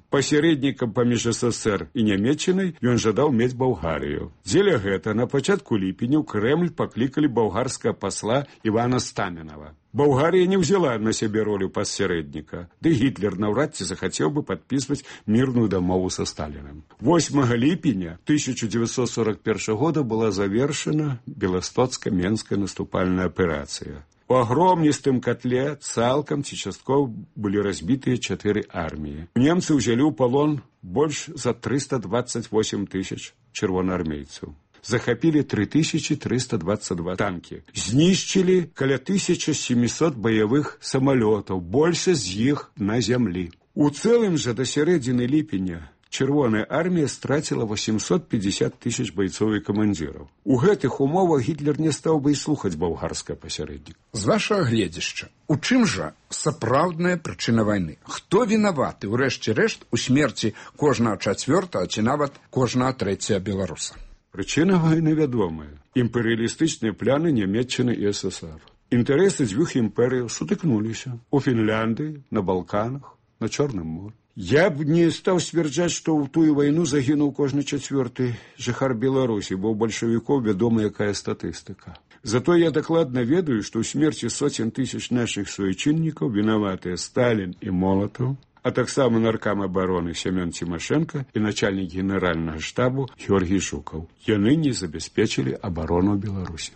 Пасярэднікам паміж СССР і Нямецчынай ён жадаў мець Балгарыю. Дзеля гэта на пачатку ліпеня ў Крэмль паклікалі балгарскага пасла Івана Стаменава. Балгарія не ўзяла на сябе ролю пасярэдніка, ды Гітлер наўрад ці захацеў бы падпісваць мірную дамову са Сталіным. восьмага ліпеня тысяча девятьсот сорок первого года была завершена Беластоцка-Менская наступальная аперацыя. У агромністым котле цалкам ці часткова былі разбітыя чатыры арміі. Немцы ўзялі ў палон больш за триста двадцать восемь тысяч чырвонаармейцаў. Захапілі три тысячи триста двадцать два танки. Знішчылі каля тысяча семьсот баявых самалётаў, большасць з іх на зямлі. У цэлым жа да сярэдзіны ліпеня Чырвоная армія страціла восемьсот пятьдесят тысяч бойцоў і камандзіраў. У гэтых умовах Гітлер не стаў бы і слухаць балгарскае пасярэднік. З вашага гледзяшча, у чым жа сапраўдная прычына вайны? Хто вінаваты, урэшце рэшт, у смерці кожнага чацвёртага ці нават кожнага трэцяга беларуса? Прычына вайны вядомая. Імперыялістычныя пляны Нямецчыны і СССР. Інтарэсы дзвюх імперыяў сутыкнуліся. У Фінляндыі, на Балканах, на Чорным моры. Я б не стаў сцвярджаць, што ў тую вайну загінуў кожны чацвёрты жыхар Беларусі, бо ў бальшавікоў вядома якая статыстыка. Зато я дакладна ведаю, што ў смерці соцень тысяч нашых суайчыннікаў вінаватыя Сталін і Молатаў, а таксама наркам абароны Семён Цімашэнка і начальнік генеральнага штабу Георгій Жукаў. Яны не забяспечылі абарону Беларусі.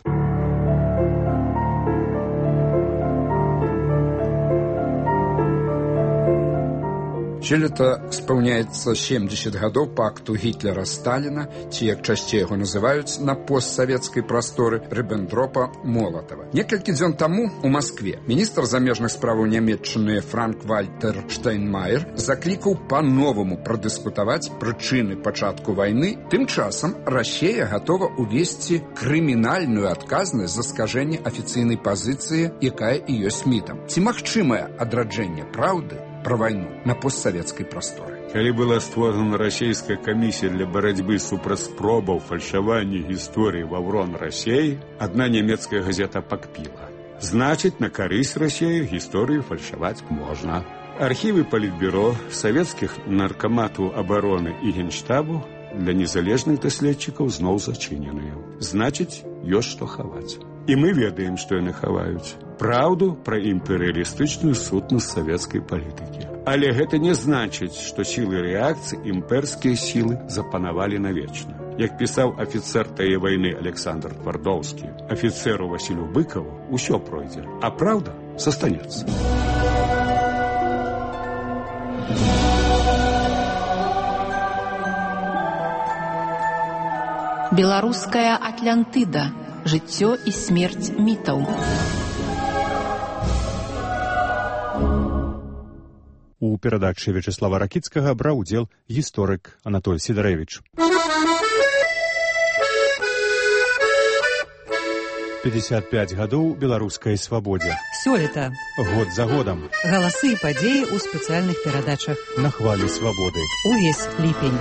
Сёлета спаўняецца семьдесят гадоў пакту Гітлера-Сталіна, ці, як часцей яго называюць, на постсавецкай прасторы Рыббентропа-Молатава. Некалькі дзён таму у Маскве міністр замежных справаў Нямецчыны Франк-Вальтер Штайнмаер заклікаў па-новаму прадыскутаваць прычыны пачатку вайны. Тым часам Расія гатова ўвесці крымінальную адказнасць за скажэнне афіцыйнай пазіцыі, якая і ёсць мітам. Ці магчымае адраджэнне праўды пра вайну на постсавецкай прасторы? Калі была створана расійская камісія для барацьбы супраць спробаў фальшавання гісторыі ваўрон Расіі, адна нямецкая газета пакпіла. Значыць, на карысць Расіі гісторыю фальшаваць можна. Архівы Палітбюро, савецкіх наркаматаў абароны і генштабу для незалежных даследчыкаў зноў зачыненыя. Значыць, ёсць што хаваць. І мы ведаем, што яны хаваюць. Праўду пра імперыялістычную сутнасць савецкай палітыкі. Але гэта не значыць, што сілы рэакцыі імперскія сілы запанавалі навечна. Як пісаў афіцэр тае вайны Александр Твардоўскі, афіцэру Васілю Быкаву усё пройдзе, а праўда застанецца. Беларуская Атлантыда. Жыццё і смерць мітаў. У перадачы Вячеслава Ракіцкага браў удзел гісторык Анатоль Сідарэвіч. пятьдесят пять гадоў беларускай свабодзе. Сёлета. Год за годам. Галасы і падзеі ў спецыяльных перадачах. На хвалі свабоды. Увесь ліпень.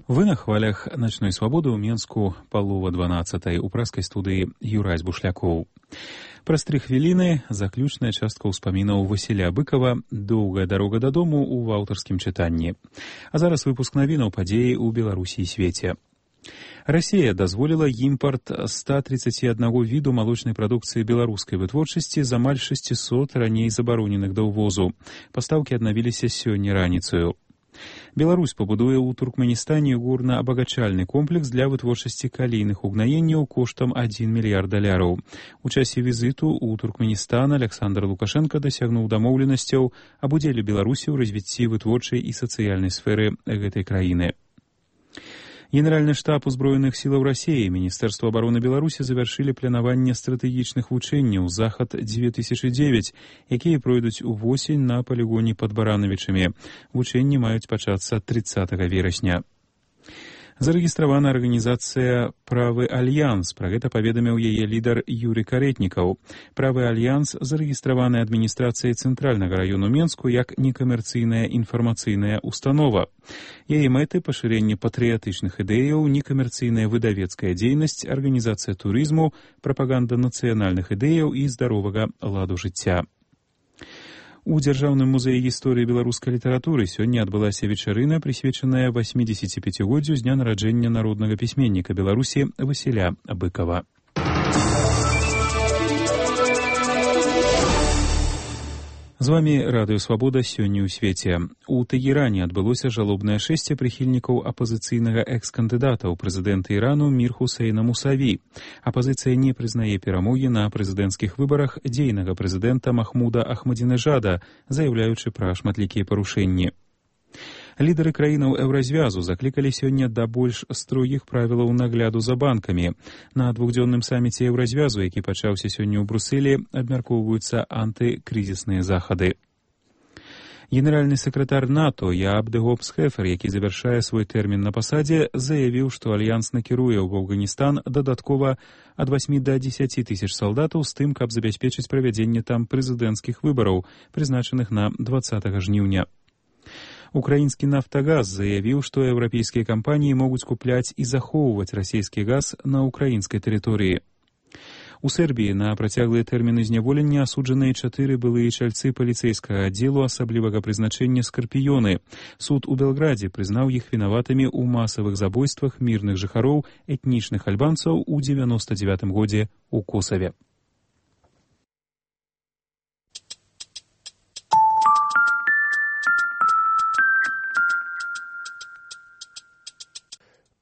Вы на хвалях начной свабоды ў Менску палова дванаццатай у праскай студыі Юрась Бушлякоў. Праз тры хвіліны заключная частка ўспамінаў Васіля Быкова «Доўгая дарога дадому» ў аўтарскім чытанні. А зараз выпуск навінаў падзеі ў Беларусі і свеце. Расія дазволіла імпарт ста тридцати одного віду малочнай прадукцыі беларускай вытворчасці з амаль шестисот раней забароненых да ўвозу. Пастаўкі аднавіліся сёння раніцаю. Беларусь пабудуе ў Туркменістане горна-абагачальны комплекс для вытворчасці калійных угнаенняў коштам адзін мільярд даляраў. У часе візіту ў Туркменістан Александр Лукашенко дасягнуў дамоўленасцяў аб удзеле Беларусі ў развіцці вытворчай і сацыяльнай сферы гэтай краіны. Генеральны штаб узброеных сілаў Расіі і Міністэрства абароны Беларусі завяршылі планаванне стратэгічных вучэнняў «Захад две тысячи девять», якія пройдуць увосень на палігоне пад Баранавічамі. Вучэнні маюць пачацца тридцатага верасня. Зарэгістравана арганізацыя «Правы Альянс». Пра гэта паведаміў яе лідар Юрый Каретнікаў. «Правы Альянс» зарэгістраваны адміністрацыяй Цэнтральнага раёну Менску як некамерцыйная інфармацыйная установа. Яе мэты — пашырэнне патрыятычных ідэяў, некамерцыйная выдавецкая дзейнасць, арганізацыя турызму, прапаганда нацыянальных ідэяў і здаровага ладу жыцця. У Дзяржаўным музеі гісторыі беларускай літаратуры сёння адбылася вечарына, прысвечаная восьмидесятипятигоддзю з дня нараджэння народнага пісьменніка Беларусі Васіля Быкова. З вамі Радыё Свабода сёння ў свеце. У Тэгеране адбылося жалобнае шэсце прыхільнікаў апазіцыйнага экс-кандыдата ў прэзідэнты Ірану Мір Хусейна Мусаві. Апазіцыя не прызнае перамогі на прэзідэнцкіх выбарах дзейнага прэзідэнта Махмуда Ахмадзінежада, заяўляючы пра шматлікія парушэнні. Лідары краінаў еўразвязу заклікалі сёння да больш строгіх правілаў нагляду за банкамі. На двухдзённым саміце еўразвязу, які пачаўся сёння ў Брусэлі, абмяркоўваюцца антыкрызісныя захады. Генеральны сакратар НАТО Яаб де Гопс-Хефер, які завяршае свой тэрмін на пасадзе, заявіў, што альянс накіруе ў Афганістан дадаткова ад восьмі да дзесяці тысяч салдатаў з тым, каб забяспечыць правядзенне там прэзідэнцкіх выбараў, прызначаных на дваццатага жніўня. Украінскі «Нафтагаз» заявіў, што еўрапейскія кампаніі могуць купляць і захоўваць расійскі газ на украінскай тэрыторыі. У Сербіі на працяглыя тэрміны зняволення асуджаныя чатыры былыя чальцы паліцэйскага аддзелу асаблівага прызначэння «Скарпіёны». Суд у Белградзе прызнаў іх вінаватымі ў масавых забойствах мірных жыхароў этнічных альбанцаў у дзевяноста дзевятым годзе ў Косаве.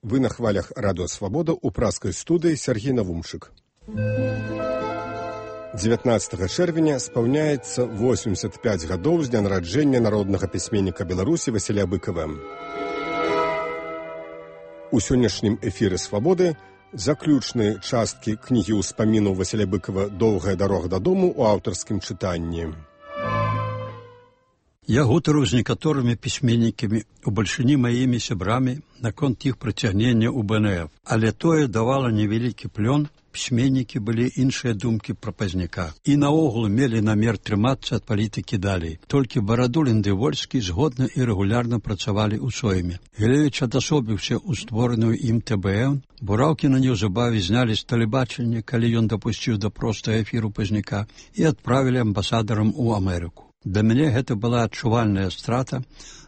Вы на хвалях Радыё Свабода ў праскай студыі Сергей Навумчык. дзевятнаццатага чэрвеня спаўняецца восемьдесят пять гадоў з дня нараджэння народнага пісьменніка Беларусі Васіля Быкова. У сённяшнім эфіры «Свабоды» заключныя часткі кнігі ўспамінаў Васіля Быкова «Доўгая дарога дадому» ў аўтарскім чытанні. Я гутарыў з некаторымі пісьменнікамі, у бальшыні маімі сябрамі, наконт іх прыцягнення ў бэ эн эф, але тое давала невялікі плён, пісьменнікі былі іншыя думкі пра пазняка. І наогул мелі намер трымацца ад палітыкі далей. Толькі Барадулін ды Вольскі згодна і рэгулярна працавалі ў сойме. Гілевіч адасобіўся ў створаную ім тэ бэ эн, Бураўкіна неўзабаве знялі з тэлебачання, калі ён дапусціў да простага эфіру пазняка, і адправілі амбасадарам у Амерыку. Для мяне гэта была адчувальная страта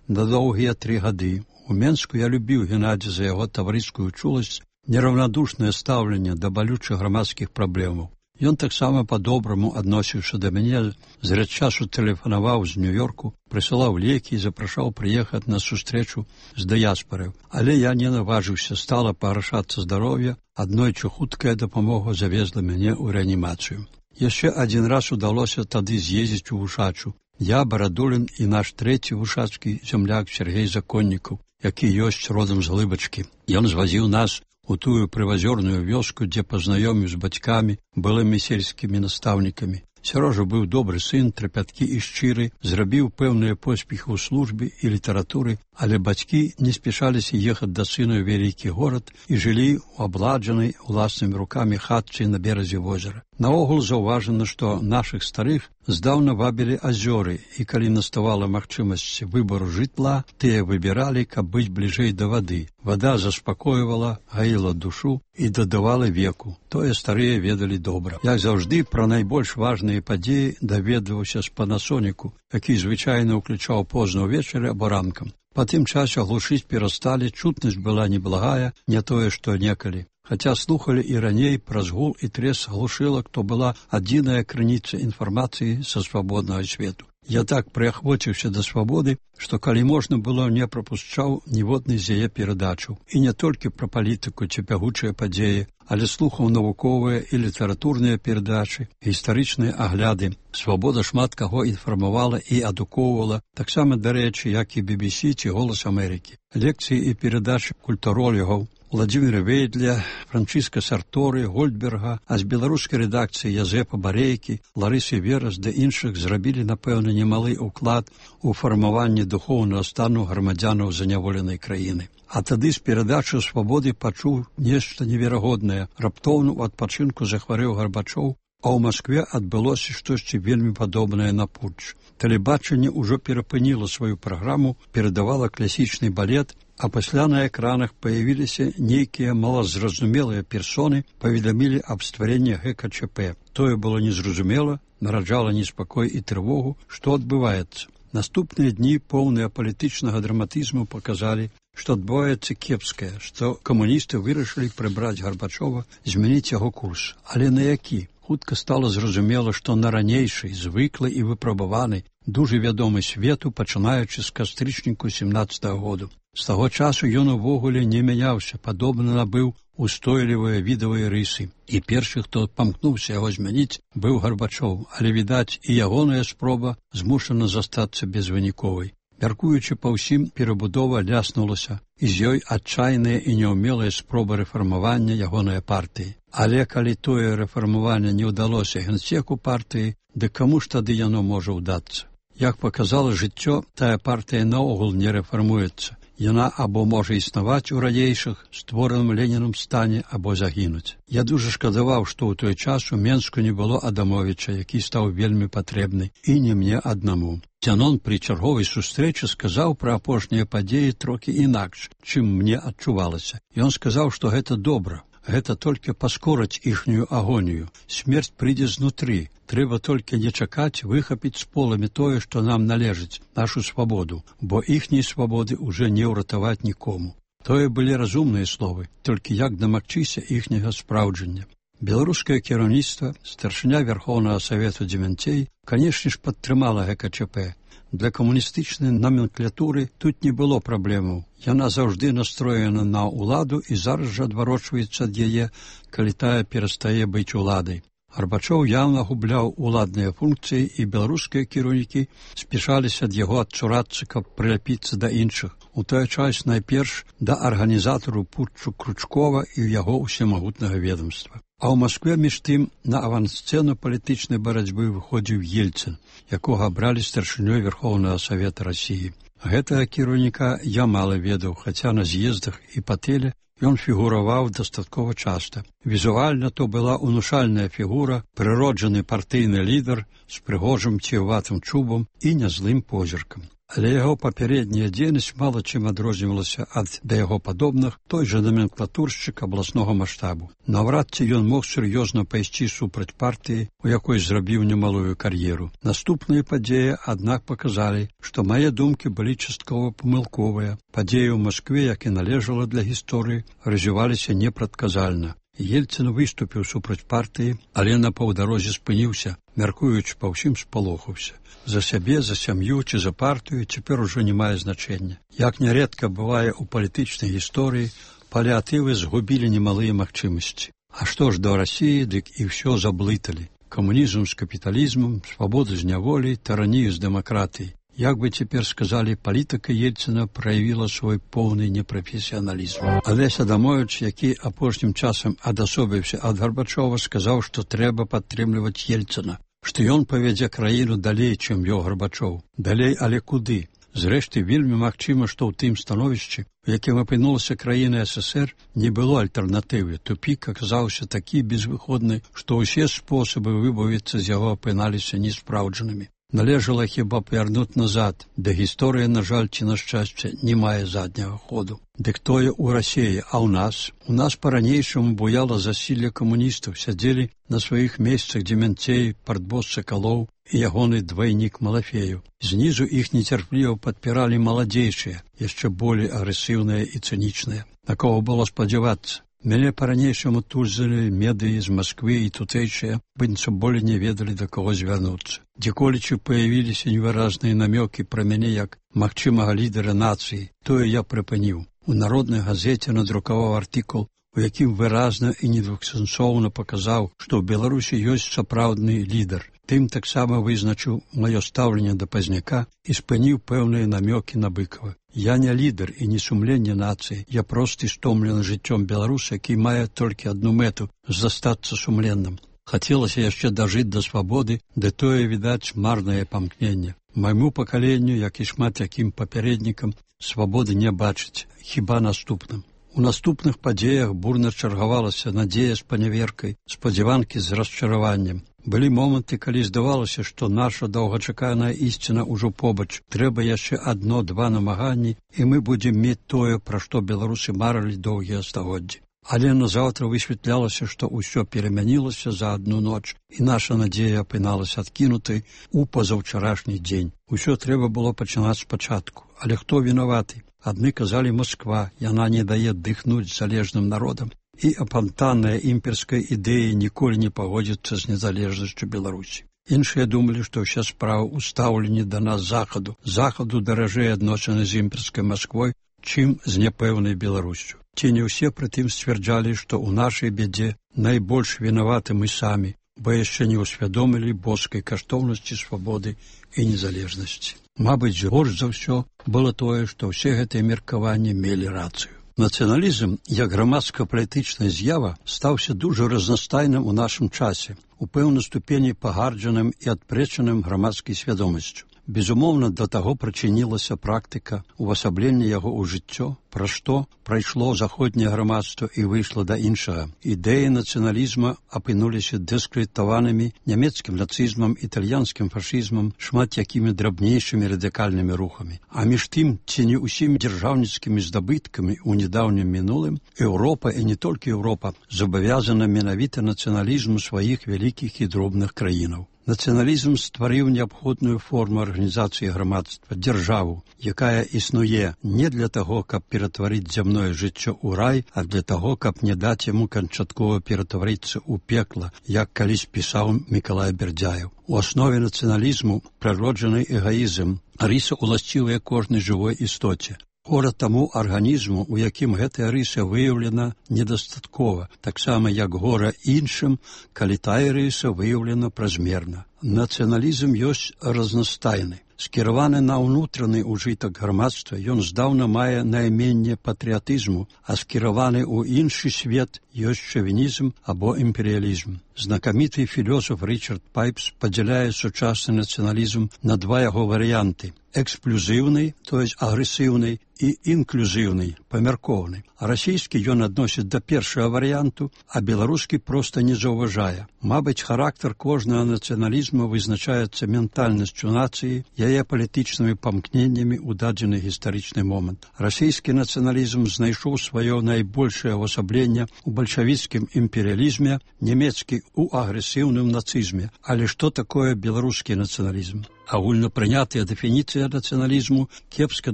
на доўгія тры гады. У Менску я любіў Геннадзя за яго таварыскую чуласць, нераўнадушнае стаўленне да балючых грамадскіх праблемаў. Ён таксама па-добраму адносіўся да мяне, зрэд часу тэлефанаваў з Нью-Йорку, прысылаў лекі і запрашаў прыехаць на сустрэчу з дыяспарай. Але я не наважыўся, стала пагаршацца здароўе, аднойчы хуткая дапамога завезла мяне ў рэанімацыю. Яшчэ адзін раз удалося тады з'ездзіць у Вушачу. Я, Барадулін і наш трэці вушацкі зямляк Сергей Законнікаў, які ёсць родам з Глыбачкі. Ён звазіў нас у тую прывазёрную вёску, дзе пазнаёміў з бацькамі, былымі сельскімі настаўнікамі. Сярожа быў добры сын, трапяткі і шчыры, зрабіў пэўныя поспехі ў службе і літаратуры, але бацькі не спяшаліся ехаць да сына ў вялікі горад і жылі ў абладжанай уласнымі рукамі хатцы на беразе возера. Наогул заўважана, што нашых старых здаўна вабілі азёры, і калі наставала магчымасць выбару жытла, тыя выбіралі, каб быць бліжэй да вады. Вада заспакойвала, гаіла душу і дадавала веку. Тое старыя ведалі добра. Як заўжды, пра найбольш важныя падзеі даведваўся з панасоніку, які звычайна ўключаў позна ўвечары або ранкам. Па тым часе глушыць перасталі, чутнасць была неблагая, не тое, што некалі. Хаця слухалі і раней праз гул і трес глушылак, то была адзіная крыніца інфармацыі са свабоднага свету. Я так прыахвоціўся да свабоды, што калі можна было, не прапушчаў ніводнай з яе перадачаў. І не толькі пра палітыку ці бягучыя падзеі, але слухаў навуковыя і літаратурныя перадачы, гістарычныя агляды. Свабода шмат каго інфармавала і адукоўвала, таксама, дарэчы, як і би би сі ці «Голас Амерыкі». Лекцыі і перадачы культуролігаў Владзіміра Вейдля, Франчыска Сарторы, Гольдберга, а з беларускай рэдакцыі Язэпа Барейкі, Ларысы Верас ды іншых зрабілі, напэўна, немалы ўклад у фармаванне духоўнага стану грамадзянаў заняволенай краіны. А тады з перадачы свабоды пачуў нешта неверагоднае. Раптоўна ў адпачынку захварэў Гарбачоў, а ў Маскве адбылося штосьці вельмі падобнае на путч. Тэлебачанне ўжо перапыніла сваю праграму, перадавала класічны балет, а пасля на экранах паявіліся нейкія малазразумелыя персоны, паведамілі аб стварэнні гэ ка чэ пэ. Тое было незразумела, нараджала неспакой і трывогу, што адбываецца. Наступныя дні, поўныя палітычнага драматызму, паказалі, што адбываецца кепскае, што камуністы вырашылі прыбраць Гарбачова, змяніць яго курс. Але на які? Хутка стала зразумела, што на ранейшай, звыклай і выпрабаванай, дужа вядомы свету, пачынаючы з кастрычніку сямнаццатага году. З таго часу ён увогуле не мяняўся, падобна набыў устойлівыя відавыя рысы. І першы, хто памкнуўся яго змяніць, быў Гарбачоў, але, відаць, і ягоная спроба змушана застацца безвыніковай. Мяркуючы па ўсім, перабудова ляснулася, і з ёй адчайная і няўмелая спроба рэфармавання ягонай партыі. Але калі тое рэфармаванне не ўдалося генсеку партыі, дык каму ж тады яно можа ўдацца? Як паказала жыццё, тая партыя наогул не рэфармуецца. Яна або можа існаваць у ранейшых, створаным Ленінам стане, або загінуць. Я дужа шкадаваў, што ў той час у Менску не было Адамовіча, які стаў вельмі патрэбны, і не мне аднаму. Дзянон пры чарговай сустрэчы сказаў пра апошнія падзеі трохі інакш, чым мне адчувалася. Ён сказаў, што гэта добра. Гэта толькі паскораць іхнюю агонію. Смерць прыйдзе знутры. Трэба толькі не чакаць выхапіць з поламі тое, што нам належыць, нашу свабоду, бо іхняй свабоды ўжо не ўратаваць нікому. Тое былі разумныя словы, толькі як дамагчыся іхняга спраўджання. Беларускае кіраўніцтва, старшыня Верхоўнага Савету Дземянцей, канешне ж, падтрымала гэ ка чэ пэ. Для камуністычнай номенклатуры тут не было праблемаў. Яна заўжды настроена на ўладу і зараз жа адварочваецца ад яе, калі тая перастае быць уладай. Гарбачоў яўна губляў уладныя функцыі, і беларускія кіраўнікі спяшаліся ад яго адчурацца, каб прыляпіцца да іншых. У той час найперш да арганізатару путчу Кручкова і яго ўсемагутнага ведомства. А ў Маскве, між тым, на авансцэну палітычнай барацьбы выходзіў Ельцын, якога абралі старшынёй Верхоўнага Савета Расіі. Гэтага кіраўніка я мала ведаў, хаця на з'ездах і па тэле ён фігураваў дастаткова часта. Візуальна то была унушальная фігура, прыроджаны партыйны лідар з прыгожым ціватым чубам і нязлым позіркам. Але яго папярэдняя дзейнасць мала чым адрознівалася ад да яго падобных той жа номенклатуршчык абласнога маштабу. Наўрад ці ён мог сур'ёзна пайсці супраць партыі, у якой зрабіў немалую кар'еру. Наступныя падзеі, аднак, паказалі, што мае думкі былі часткова памылковыя. Падзеі ў Маскве, як і належала для гісторыі, развіваліся непрадказальна. Ельцын выступіў супраць партыі, але на паўдарозе спыніўся, мяркуючы па ўсім спалохаўся. За сябе, за сям'ю ці за партыю цяпер ужо не мае значэння. Як нярэдка бывае ў палітычнай гісторыі, паліатывы згубілі немалыя магчымасці. А што ж да Расіі, дык і ўсё заблыталі. Камунізм з капіталізмам, свабоду з няволей, таранію з дэмакратыяй. Як бы цяпер сказалі, палітыка Ельцына праявіла свой поўны непрафесіяналізм. Алесь Адамович, які апошнім часам адасобіўся ад Гарбачова, сказаў, што трэба падтрымліваць Ельцына, што ён павядзе краіну далей, чым вёў Гарбачоў. Далей, але куды? Зрэшты, вельмі магчыма, што ў тым становішчы, у якім апынулася краіна СССР, не было альтэрнатывы. Тупік аказаўся такі безвыходны, што ўсе спосабы выбавіцца з яго апыналіся неспраўджанымі. Належала хіба павярнуць назад, да гісторыя, на жаль, ці на шчасце, не мае задняга ходу. Дык тое ў Расіі, а ў нас? У нас па-ранейшаму буяла засілле камуністаў, сядзелі на сваіх месцах Дземянцей, партбос Сакалоў і ягоны двайнік Малафею. Знізу іх нецярпліва падпіралі маладзейшыя, яшчэ болей агрэсіўныя і цынічныя. На кого было спадзявацца? Мяне па-ранейшаму тузалі медыі з Масквы і тутэйшыя, быццам болей не ведалі, да каго звярнуцца. Дзеколічы паявіліся невыразныя намёкі пра мяне як магчымага лідара нацыі. Тое я прыпыніў. У народнай газеце надрукаваў артыкул, у якім выразна і недвухсэнсоўна паказаў, што ў Беларусі ёсць сапраўдны лідар. Тым таксама вызначыў маё стаўленне да Пазняка і спыніў пэўныя намёкі на Быкова. Я не лідар і не сумленне нацыі, я просты стомлены жыццём беларуса, які мае толькі адну мэту – застацца сумленным. Хацелася яшчэ дажыць да свабоды, ды тое, відаць, марнае памкненне. Майму пакаленню, як і шмат якім папярэднікам, свабоды не бачыць, хіба наступным. У наступных падзеях бурна чаргавалася надзея з паняверкай, спадзяванкі з расчараваннем. Былі моманты, калі здавалася, што наша доўгачаканая ісціна ўжо побач. Трэба яшчэ адно-два намаганні, і мы будзем мець тое, пра што беларусы марылі доўгія стагоддзі. Але назаўтра высвятлялася, што ўсё перамянілася за адну ноч, і наша надзея апыналася адкінутай у пазаўчарашні дзень. Усё трэба было пачынаць спачатку. Але хто вінаваты? Адны казалі Масква, яна не дае дыхнуць залежным народам, і апантанная імперская ідэя ніколі не пагодзіцца з незалежнасцю Беларусі. Іншыя думалі, што ўся справа ў стаўленні да нас захаду. Захаду даражэй адносіны з імперскай Масквой, чым з няпэўнай Беларусю. Ці не ўсе прытым сцвярджалі, што ў нашай бядзе найбольш вінаваты мы самі, бо яшчэ не ўсвядомілі боскай каштоўнасці свабоды і незалежнасці. Мабыць, горш за ўсё было тое, што ўсе гэтыя меркаванні мелі рацыю. Нацыяналізм, як грамадска-палітычная з'ява, стаўся дужа разнастайным у нашым часе, у пэўнай ступені пагарджаным і адпрэчаным грамадскай свядомасцю. Безумоўна, да таго прычынілася практыка увасаблення яго ў жыццё, пра што прайшло заходняе грамадства і выйшла да іншага. Ідэі нацыяналізма апынуліся дыскрэдытаванымі нямецкім нацызмам, італьянскім фашызмам, шмат якімі драбнейшымі радыкальнымі рухамі. А між тым, ці не ўсімі дзяржаўніцкімі здабыткамі ў нядаўнім мінулым, Еўропа, і не толькі Еўропа, забавязана менавіта нацыяналізму сваіх вялікіх і дробных краінаў. Нацыяналізм стварыў неабходную форму арганізацыі грамадства, дзяржаву, якая існуе не для таго, каб ператварыць зямное жыццё ў рай, а для таго, каб не даць яму канчаткова ператварыцца ў пекла, як калісь пісаў Мікалай Бердзяеў. У аснове нацыяналізму прыроджаны эгоізм, рыса уласцівая кожнай жывой істоце. Гора таму арганізму, у якім гэтая рыса выяўлена недастаткова, таксама як гора іншым, калі тая рыса выяўлена празмерна. Нацыяналізм ёсць разнастайны. Скіраваны на ўнутраны ўжытак грамадства, ён здаўна мае найменне патрыятызму, а скіраваны ў іншы свет ёсць шавінізм або імперыялізм. Знакаміты філёсаф Рычард Пайпс падзяляе сучасны нацыяналізм на два яго варыянты – эксклюзіўны, то есть агрэсіўны, і інклюзіўны, памяркоўны. А расійскі ён адносіць да першага варыянту, а беларускі проста не заўважае. Мабыць, характар кожнага нацыяналізму вызначаецца ментальнасцю нацыі, яе палітычнымі памкненнямі ў дадзены гістарычны момант. Расійскі нацыяналізм знайшоў сваё найбольшае ўвасабленне ў бальшавіцкім імперыялізме, нямецкі ў агрэсіўным нацызме. Але што такое беларускі нацыяналізм? Агульнапрынятая дэфініцыя нацыяналізму кепска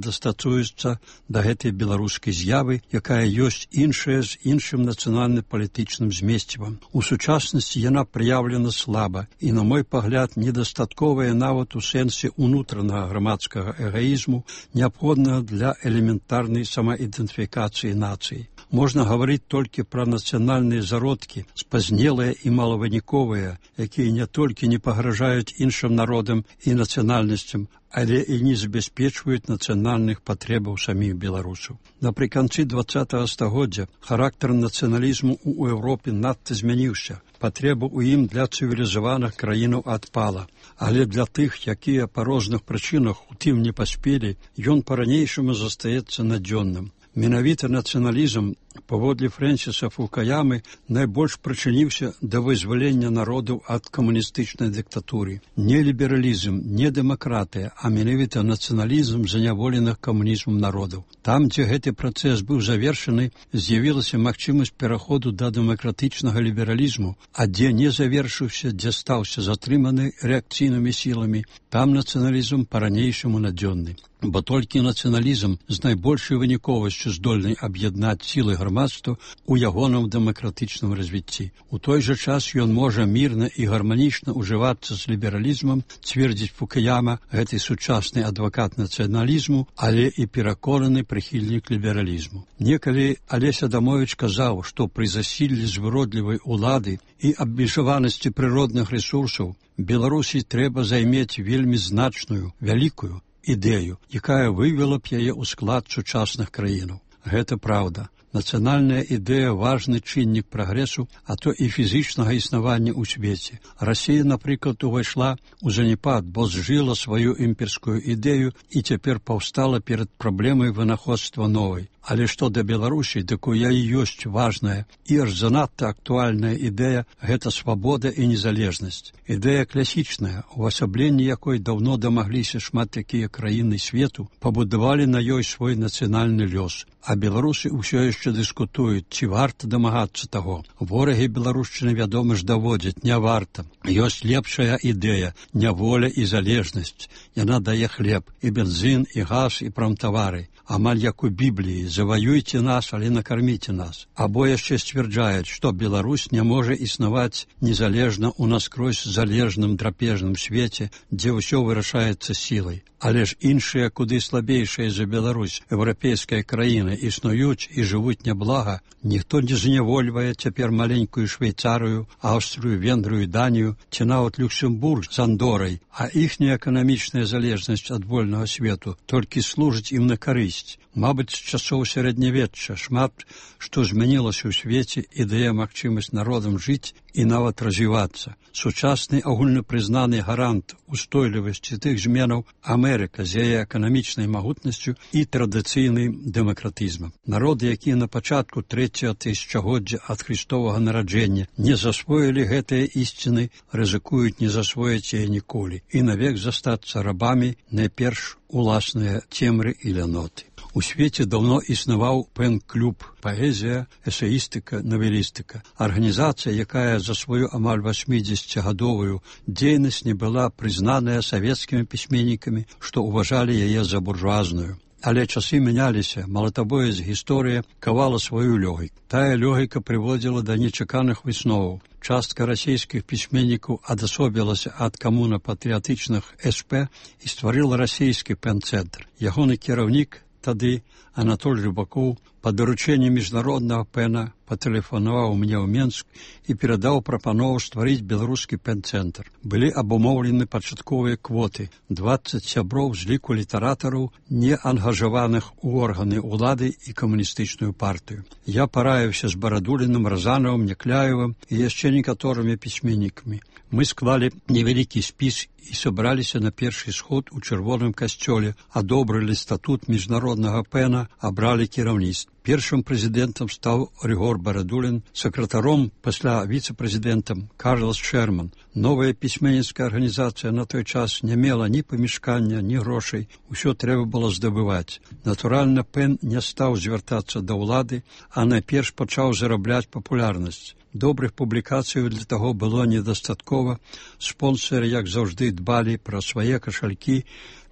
дастасуецца да гэтай беларускай з'явы, якая ёсць іншая з іншым нацыянальна-палітычным змесцівам. У сучаснасці яна праяўлена слаба і, на мой пагляд, недастатковая нават у сэнсе ўнутранага грамадскага эгоізму, неабходнага для элементарнай самаідэнтыфікацыі нацыі. Можна гаварыць толькі пра нацыянальныя зародкі, спазнелыя і малавыніковыя, якія не толькі не пагражаюць іншым народам і нацыянальнасцям, але і не забяспечваюць нацыянальных патрэбаў саміх беларусаў. Напрыканцы дваццатага стагоддзя характар нацыяналізму ў Еўропе надта змяніўся. Патрэба ў ім для цывілізаваных краінаў адпала. Але для тых, якія па розных прычынах у тым не паспелі, ён па-ранейшаму застаецца надзённым. Менавіта нацыяналізм, паводле Фрэнсіса Фукуямы, найбольш прычыніўся да вызвалення народаў ад камуністычнай дыктатуры. Не лібералізм, не дэмакратыя, а менавіта нацыяналізм заняволеных камунізмам народаў. Там, дзе гэты працэс быў завершаны, з'явілася магчымасць пераходу да дэмакратычнага лібералізму, а дзе не завершыўся, дзе стаўся затрыманы рэакцыйнымі сіламі, там нацыяналізм па-ранейшаму надзённы. Бо толькі нацыяналізм з найбольшай выніковасцю здольны аб'яднаць сілы грамадства ў ягоным дэмакратычным развіцці. У той жа час ён можа мірна і гарманічна ўжывацца з лібералізмам, цвердзіць Фукуяма, гэты сучасны адвакат нацыяналізму, але і пераконаны прыхільнік лібералізму. Некалі Алесь Адамовіч казаў, што пры засіллі звыродлівай улады і абмежаванасці прыродных рэсурсаў Беларусі трэба займець вельмі значную, вялікую ідэю, якая вывела б яе ў склад сучасных краінаў. Гэта праўда. Нацыянальная ідэя – важны чыннік прагрэсу, а то і фізічнага існавання ў свеце. Расія, напрыклад, увайшла ў заняпад, бо зжыла сваю імперскую ідэю і цяпер паўстала перад праблемай вынаходства новай. Але што да Беларусі, дык у яе ёсць важная і аж занадта актуальная ідэя – гэта свабода і незалежнасць. Ідэя класічная, увасабленні якой даўно дамагліся шмат такія краіны свету, пабудавалі на ёй свой нацыянальны лёс. А беларусы ўсё яшчэ дыскутуюць, ці варта дамагацца таго. Ворагі беларушчыны, вядома ж, даводзяць, не варта. Ёсць лепшая ідэя – няволя і залежнасць. Яна дае хлеб, і бензін, і газ, і прамтавары. Амаль як у Бібліі, заваюйце нас, але накарміце нас. Або яшчэ сцвярджаюць, што Беларусь не можа існаваць незалежна ў наскрозь залежным драпежным свеце, дзе ўсё вырашаецца сілай. Але ж іншыя, куды слабейшыя за Беларусь, еўрапейская краіны, існуюць і жывуць няблага, ніхто не знявольвае цяпер маленькую Швейцарыю, Аўстрыю, Венгрыю, Данію, ці нават Люксембург з Андорай, а іхняя эканамічная залежнасць ад вольнага свету толькі служыць ім на карысць. Мабыць, з часоў сярэднявечча шмат што змянілася ў свеце і дае магчымасць народам жыць і нават развівацца. Сучасны агульнапрызнаны гарант устойлівасці тых зменаў Амерыка з яе эканамічнай магутнасцю і традыцыйным дэмакратызмам. Народы, якія на пачатку трэцяга тысячагоддзя ад Христовага нараджэння не засвоілі гэтыя ісціны, рызыкуюць не засвоіць яе ніколі і навек застацца рабамі найперш уласныя цемры і ляноты. У свеце даўно існаваў пэн-клуб «Паэзія, эсеістыка, навелістыка». Арганізацыя, якая за сваю амаль васьмідзесяцігадовую дзейнасць не была прызнаная савецкімі пісьменнікамі, што ўважалі яе за буржуазную. Але часы мяняліся, малатабоязь гісторыя кавала сваю лёгіку. Тая лёгіка прыводзіла да нечаканых высноваў. Частка расійскіх пісьменнікаў адасобілася ад камуна-патрыятычных эс пэ і стварыла расійскі пэн-цэнтр. Ягоны кіраўнік тады Анатоль Рыбакоў па даручэнні міжнароднага пэна патэлефанаваў мне ў Менск і перадаў прапанову стварыць беларускі пэн-цэнтр. Былі абумоўлены пачатковыя квоты – дваццаць сяброў з ліку літаратараў, не ангажаваных у органы ўлады і камуністычную партыю. Я параіўся з Барадуліным, Разанавым, Някляевым і яшчэ некаторымі пісьменнікамі. Мы склалі невялікі спіс і сабраліся на першы сход у чырвоным касцёле, адобрылі статут міжнароднага пэна, абралі кіраўніцтва. Першым прэзідэнтам стаў Рыгор Барадулін, сакратаром, пасля віцэ-прэзідэнтам Карлас Шэрман. Новая пісьменніцкая арганізацыя на той час не мела ні памяшкання, ні грошай, усё трэба было здабываць. Натуральна, пэн не стаў звяртацца да ўлады, а найперш пачаў зарабляць папулярнасць. Добрых публікацый для таго было недастаткова, спонсары, як заўжды, дбалі пра свае кашалькі,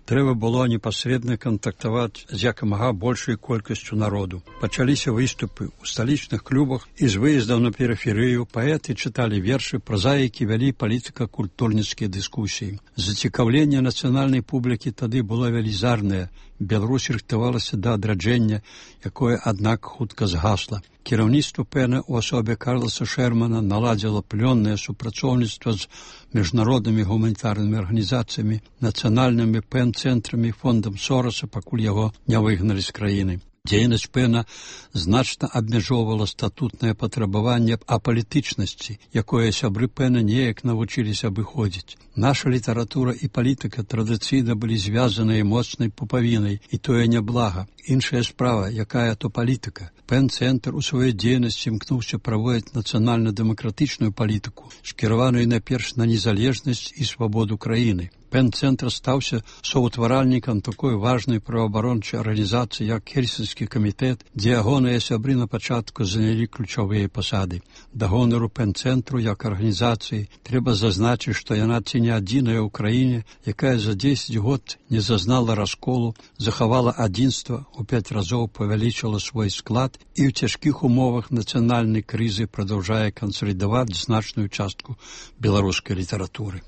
трэба было непасрэдна кантактаваць з якамага большай колькасцю народу. Пачаліся выступы ў сталічных клубах і з выездаў на перыферыю, паэты чыталі вершы, празаікі вялі палітыка-культурніцкія дыскусіі. Зацікаўленне нацыянальнай публікі тады было велізарнае, Беларусь рыхтавалася да адраджэння, якое, аднак, хутка згасла. Кіраўніцтва пэна ў асобе Карласа Шэрмана наладзіла плённае супрацоўніцтва з міжнароднымі гуманітарнымі арганізацыямі, нацыянальнымі пэн-цэнтрамі, фондам Сораса, пакуль яго не выгналі з краіны. Дзейнасць пэна значна абмяжоўвала статутнае патрабаванне апалітычнасці, якое сябры пэна неяк навучыліся абыходзіць. Наша літаратура і палітыка традыцыйна былі звязаныя моцнай пупавінай, і тое няблага. Іншая справа, якая то палітыка. Пэн-цэнтр у сваёй дзейнасці імкнуўся праводзіць нацыянальна-дэмакратычную палітыку, скіраваную найперш на незалежнасць і свабоду краіны. Пэн-цэнтр стаўся соўтваральнікам такой важнай праваабарончай арганізацыі, як Хельсінскі камітэт, дзе ягоныя сябры на пачатку занялі ключавыя пасады. Да гонару Пэн-цэнтру як арганізацыі трэба зазначыць, што яна ці не адзіная ў краіне, якая за дзесяць год не зазнала расколу, захавала адзінства, у пяць разоў павялічыла свой склад і ў цяжкіх умовах нацыянальнай крызы прадаўжае кансалідаваць значную частку беларускай літаратуры.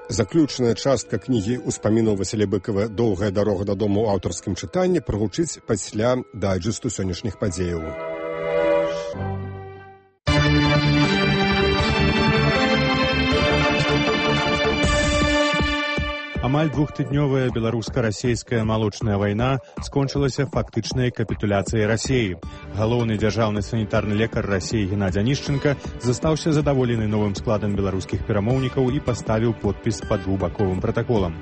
Заключная частка кнігі ўспамінаў Васіля Быкава «Доўгая дарога дадому» ў аўтарскім чытанні прагучыць пасля дайджэсту сённяшніх падзеяў. Амаль двухтыднёвая беларуска-расейская малочная вайна скончылася фактычнай капітуляцыяй Расіі. Галоўны дзяржаўны санітарны лекар Расіі Геннадзь Анішченка застаўся задаволены новым складам беларускіх перамоўнікаў і паставіў подпіс пад двухбаковым пратаколам.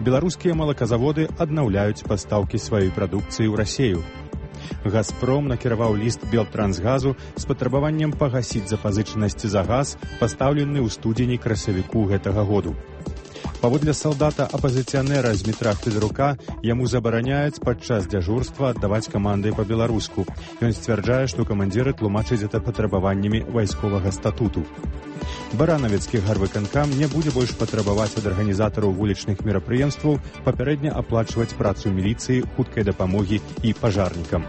Беларускія малаказаводы аднаўляюць пастаўкі сваёй прадукцыі ў Расію. «Газпром» накіраваў ліст Белтрансгазу з патрабаваннем пагасіць запазычанасці за газ, пастаўлены ў студзені-красавіку гэтага году. Паводле салдата апазіцыянера з метра Федорука яму забараняюць падчас дзяжурства аддаваць каманды па-беларуску. Ён сцвярджае, што камандзіры тлумачаць гэта патрабаваннямі вайсковага статуту. Баранавецкі гарвыканкам не будзе больш патрабаваць ад арганізатараў вулічных мерапрыемстваў папярэдне аплачваць працу міліцыі, хуткай дапамогі і пажарнікам.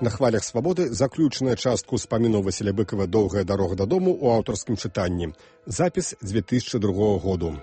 На хвалях свабоды заключная частка ўспамінаў Васіля Быкава «Доўгая дарога дадому» ў аўтарскім чытанні. Запіс две тысячи другого году.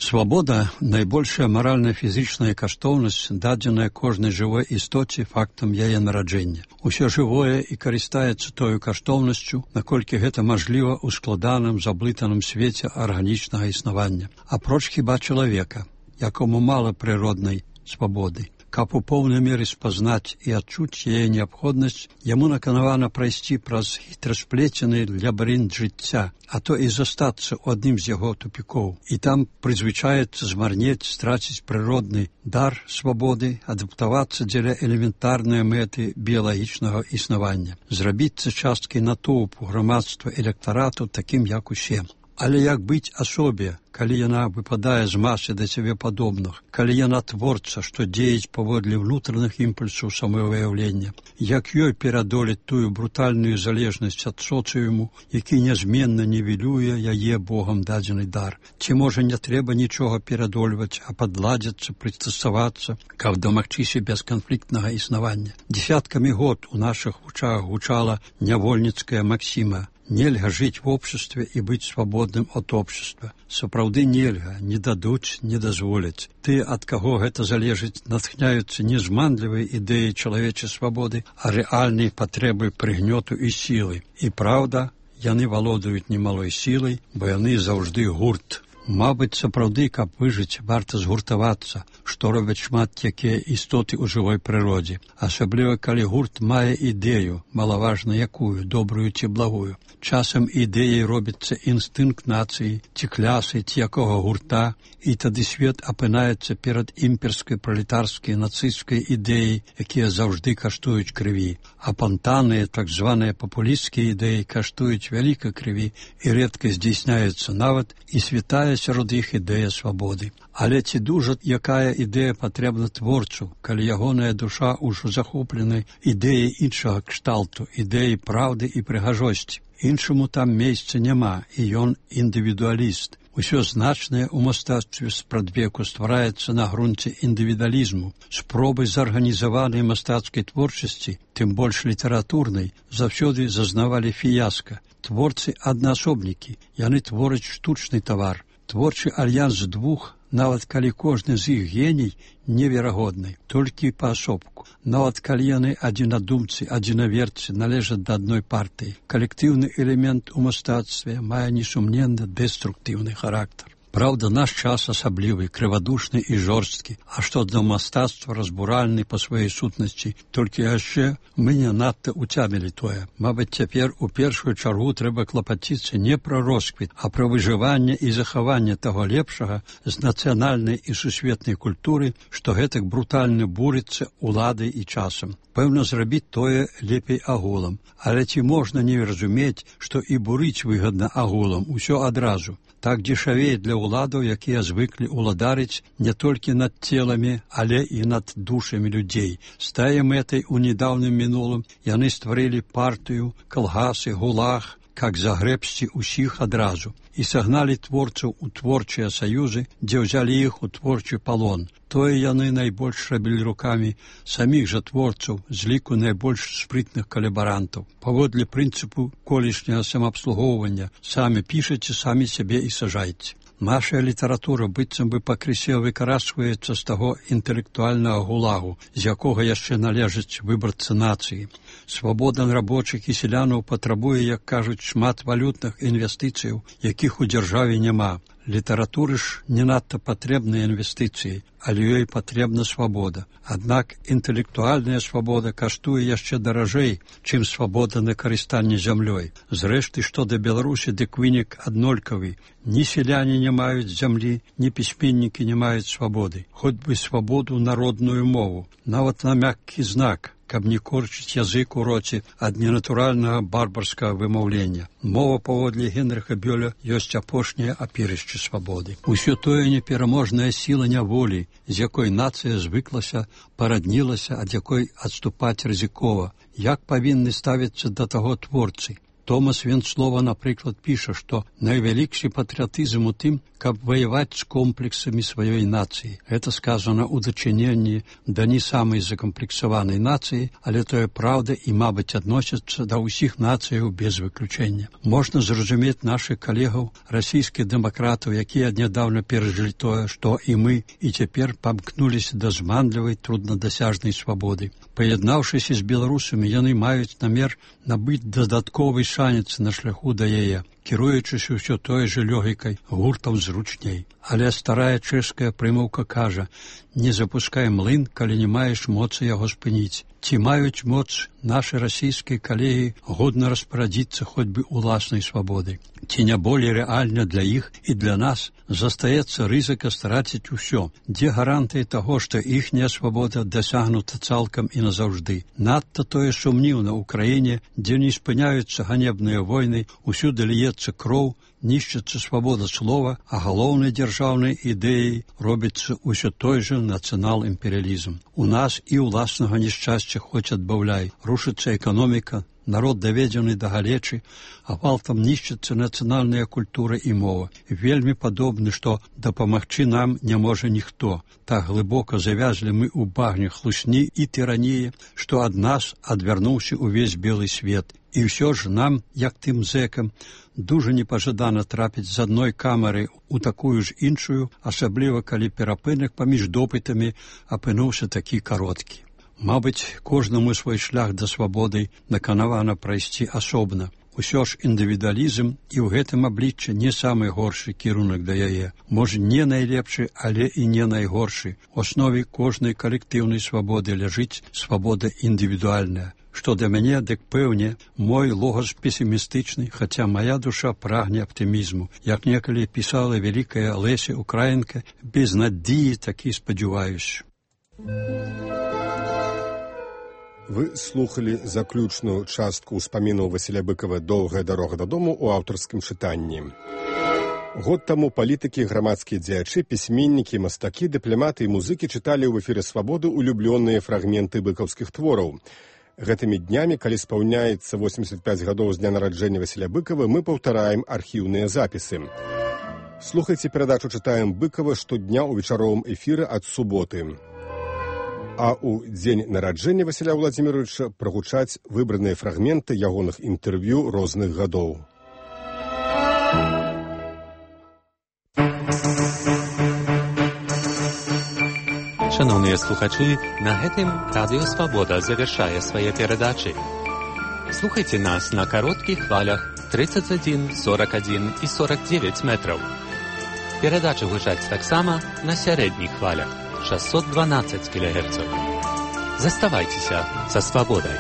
Свабода – найбольшая маральна-фізічная каштоўнасць, дадзеная кожнай жывой істоце фактам яе нараджэння. Усё жывое і карыстаецца тою каштоўнасцю, наколькі гэта мажліва ў складаным, заблытаным свеце арганічнага існавання. Апроч хіба чалавека, якому мала прыроднай свабоды. Каб у поўнай меры спазнаць і адчуць яе неабходнасць, яму наканавана прайсці праз хітрасплецены лабірынт жыцця, а то і застацца ў адным з яго тупікоў. І там прызвычаецца змарнець, страціць прыродны дар свабоды, адаптавацца дзеля элементарнай мэты біялагічнага існавання, зрабіцца часткай натоўпу грамадства электарату такім, як усе. Але як быць асобе, калі яна выпадае з масы да цябе падобных, калі яна творца, што дзеяць паводле ўнутраных імпульсаў самавыяўлення, як ёй перадолець тую брутальную залежнасць ад соцыуму, які нязменна нівелюе яе Богам дадзены дар. Ці можа не трэба нічога перадольваць, а падладзіцца, прыстасавацца, каб дамагчыся бесканфліктнага існавання. Десяткамі год у нашых вучах гучала нявольніцкая максіма: нельга жыць в обществе і быць свабодным ад общества. Сапраўды нельга, не дадуць, не дазволяць. Ты, ад каго гэта залежыць, натхняюцца не зманлівай ідэі чалавечай свабоды, а рэальнай патрэбы прыгнёту і сілы. І праўда, яны валодаюць немалой сілай, бо яны заўжды гурт. Мабыць, сапраўды, каб выжыць, варта згуртавацца, што робяць шмат якія істоты ў жывой прыродзе. Асабліва, калі гурт мае ідэю, малаважна якую, добрую ці благую. Часам ідэяй робіцца інстынкт нацыі, ці клясы, ці якога гурта, і тады свет апынаецца перад імперскай, пралетарскай, нацысцкай ідэяй, якія заўжды каштуюць крыві. А пантаныя, так званыя папулісцкія ідэі каштуюць вялікай крыві і рэдка здзейсняюцца нават і святая сярод іх ідэя свабоды. Але ці дужа якая ідэя патрэбна творцу, калі ягоная душа ўжо захоплена ідэяй іншага кшталту, ідэяй праўды і прыгажосці. Іншаму там месца няма, і ён індывідуаліст. Усё значнае ў мастацтве спрадвеку ствараецца на грунце індывідуалізму, спробы зарганізаванай мастацкай творчасці, тым больш літаратурнай, заўсёды зазнавалі фіяска. Творцы аднаасобнікі, яны твораць штучны тавар. Творчы альянс двух, нават калі кожны з іх геній, неверагодны, толькі паасобку. Нават калі яны адзінадумцы, адзінаверцы належаць да адной партыі. Калектыўны элемент у мастацтве мае несумненна дэструктыўны характар. Праўда, наш час асаблівы, крывадушны і жорсткі, а што да мастацтва разбуральны па сваёй сутнасці, толькі яшчэ мы не надта уцямілі тое. Мабыць, цяпер у першую чаргу трэба клапаціцца не пра росквіт, а пра выжыванне і захаванне таго лепшага з нацыянальнай і сусветнай культуры, што гэтак брутальна бурыцца уладай і часам. Пэўна, зрабіць тое лепей агулам, але ці можна не разумець, што і бурыць выгадна агулам, усё адразу. Так дзешавее для ўладаў, якія звыклі ўладарыць не толькі над целамі, але і над душамі людзей. З тае мэтай у недаўнім мінулым яны стварылі партыю, калгасы, гулаг, как загрэбсці ўсіх адразу, і сагналі творцаў у творчыя саюзы, дзе ўзялі іх у творчы палон. Тое яны найбольш рабілі рукамі саміх жа творцаў з ліку найбольш спрытных калабарантаў. Паводле прынцыпу колішняга самаабслугоўвання самі пішаце, самі сябе і сажайце. Наша літаратура быццам бы пакрысе выкарачваецца з таго інтэлектуальнага гулагу, з якога яшчэ належыць выбарцы нацыі. Свабода рабочых і селянаў патрабуе, як кажуць, шмат валютных інвестыцыяў, якіх у дзяржаве няма. Літаратуры ж не надта патрэбныя інвестыцыі, але ёй патрэбна свабода. Аднак інтэлектуальная свабода каштуе яшчэ даражэй, чым свабода на карыстанне зямлёй. Зрэшты, што да Беларусі, дык вынік аднолькавы. Ні селяне не маюць зямлі, ні пісьменнікі не маюць свабоды. Хоць бы свабоду народную мову, нават на мяккі знак, каб не корчыць язык у роце ад ненатуральнага барбарскага вымаўлення. Мова, паводле Генрыха Бёля, ёсць апошняе апірышча свабоды. Усё тое непераможная сіла няволі, з якой нацыя звыклася, параднілася, ад якой адступаць рызыкова. Як павінны ставіцца да таго творцы? Томас Венцлова, напрыклад, піша, што найвялікшы патрыятызм у тым, каб ваяваць з комплексамі сваёй нацыі. Гэта сказана ў дачыненні да не самай закамплексаванай нацыі, але тое праўда і, мабыць, адносіцца да ўсіх нацыяў без выключэння. Можна зразумець нашых калегаў, расійскіх дэмакратаў, якія нядаўна перажылі тое, што і мы, і цяпер памкнуліся да зманлівай, труднадасяжнай свабоды. Паяднаўшыся з беларусамі, яны маюць намер набыць дадатковы шанец на шляху да яе, кіруючыся ўсё той жа лёгікай, гуртам зручней. Але старая чэшская прымаўка кажа: не запускай млын, калі не маеш моцы яго спыніць. Ці маюць моц нашы расійскія калегі годна распарадзіцца хоць бы уласнай свабодай? Ці не болей рэальна для іх і для нас застаецца рызыка страціць усё? Дзе гарантыі таго, што іхняя свабода дасягнута цалкам і назаўжды? Надта тое сумніўна ў краіне, дзе не спыняюцца ганебныя войны, усюды льецца кроў, нішчыцца свабода слова, а галоўнай дзяржаўнай ідэяй робіцца ўсё той жа нацыянал-імперыялізм. У нас і ўласнага няшчасця хоць адбаўляй. Рушыцца эканоміка, народ даведзены да галечы, а гвалтам нішчыцца нацыянальная культура і мова. Вельмі падобны, што дапамагчы нам не можа ніхто. Так глыбока завязлі мы ў багне хлусні і тыраніі, што ад нас адвярнуўся ўвесь белы свет. І ўсё ж нам, як тым зэкам, дужа непажадана трапіць з адной камеры ў такую ж іншую, асабліва калі перапынак паміж допытамі апынуўся такі кароткі. Мабыць, кожнаму свой шлях да свабоды наканавана прайсці асобна. Усё ж індывідуалізм і ў гэтым абліччы не самы горшы кірунак да яе. Можа, не найлепшы, але і не найгоршы. У аснове кожнай калектыўнай свабоды ляжыць свабода індывідуальная. Што да мяне, дык пэўне, мой логас песімістычны, хаця мая душа прагне аптымізму. Як некалі пісала вялікая Леся Украінка, без надзеі такі спадзяваюсь. Вы слухали заключную частку ўспамінаў Васіля Быкава «Доўгая дарога дадому» у аўтарскім чытанні. Год таму палітыкі, грамадскія дзеячы, пісьменнікі, мастакі, дыпламаты і музыкі чыталі ў эфіры «Свабоды» улюблёныя фрагменты быкаўскіх твораў. Гэтымі днямі, калі спаўняецца восемьдесят пять гадоў з дня нараджэння Васіля Быкава, мы паўтараем архіўныя запісы. Слухайце перадачу «Чытаем Быкова» штодня ў вечаровым эфіры ад суботы. А ў дзень нараджэння Васіля Владзіміровича прагучаць выбраныя фрагменты ягоных інтэрв'ю розных гадоў. Шановныя слухачы, на гэтым Радыё Свабода завяршае свае перадачы. Слухайце нас на кароткіх хвалях тридцать один, сорок один і сорок девять метраў. Перадачы гучаць таксама на сярэдніх хвалях шестьсот двенадцать кілогерцаў. Заставайцеся са свабодай.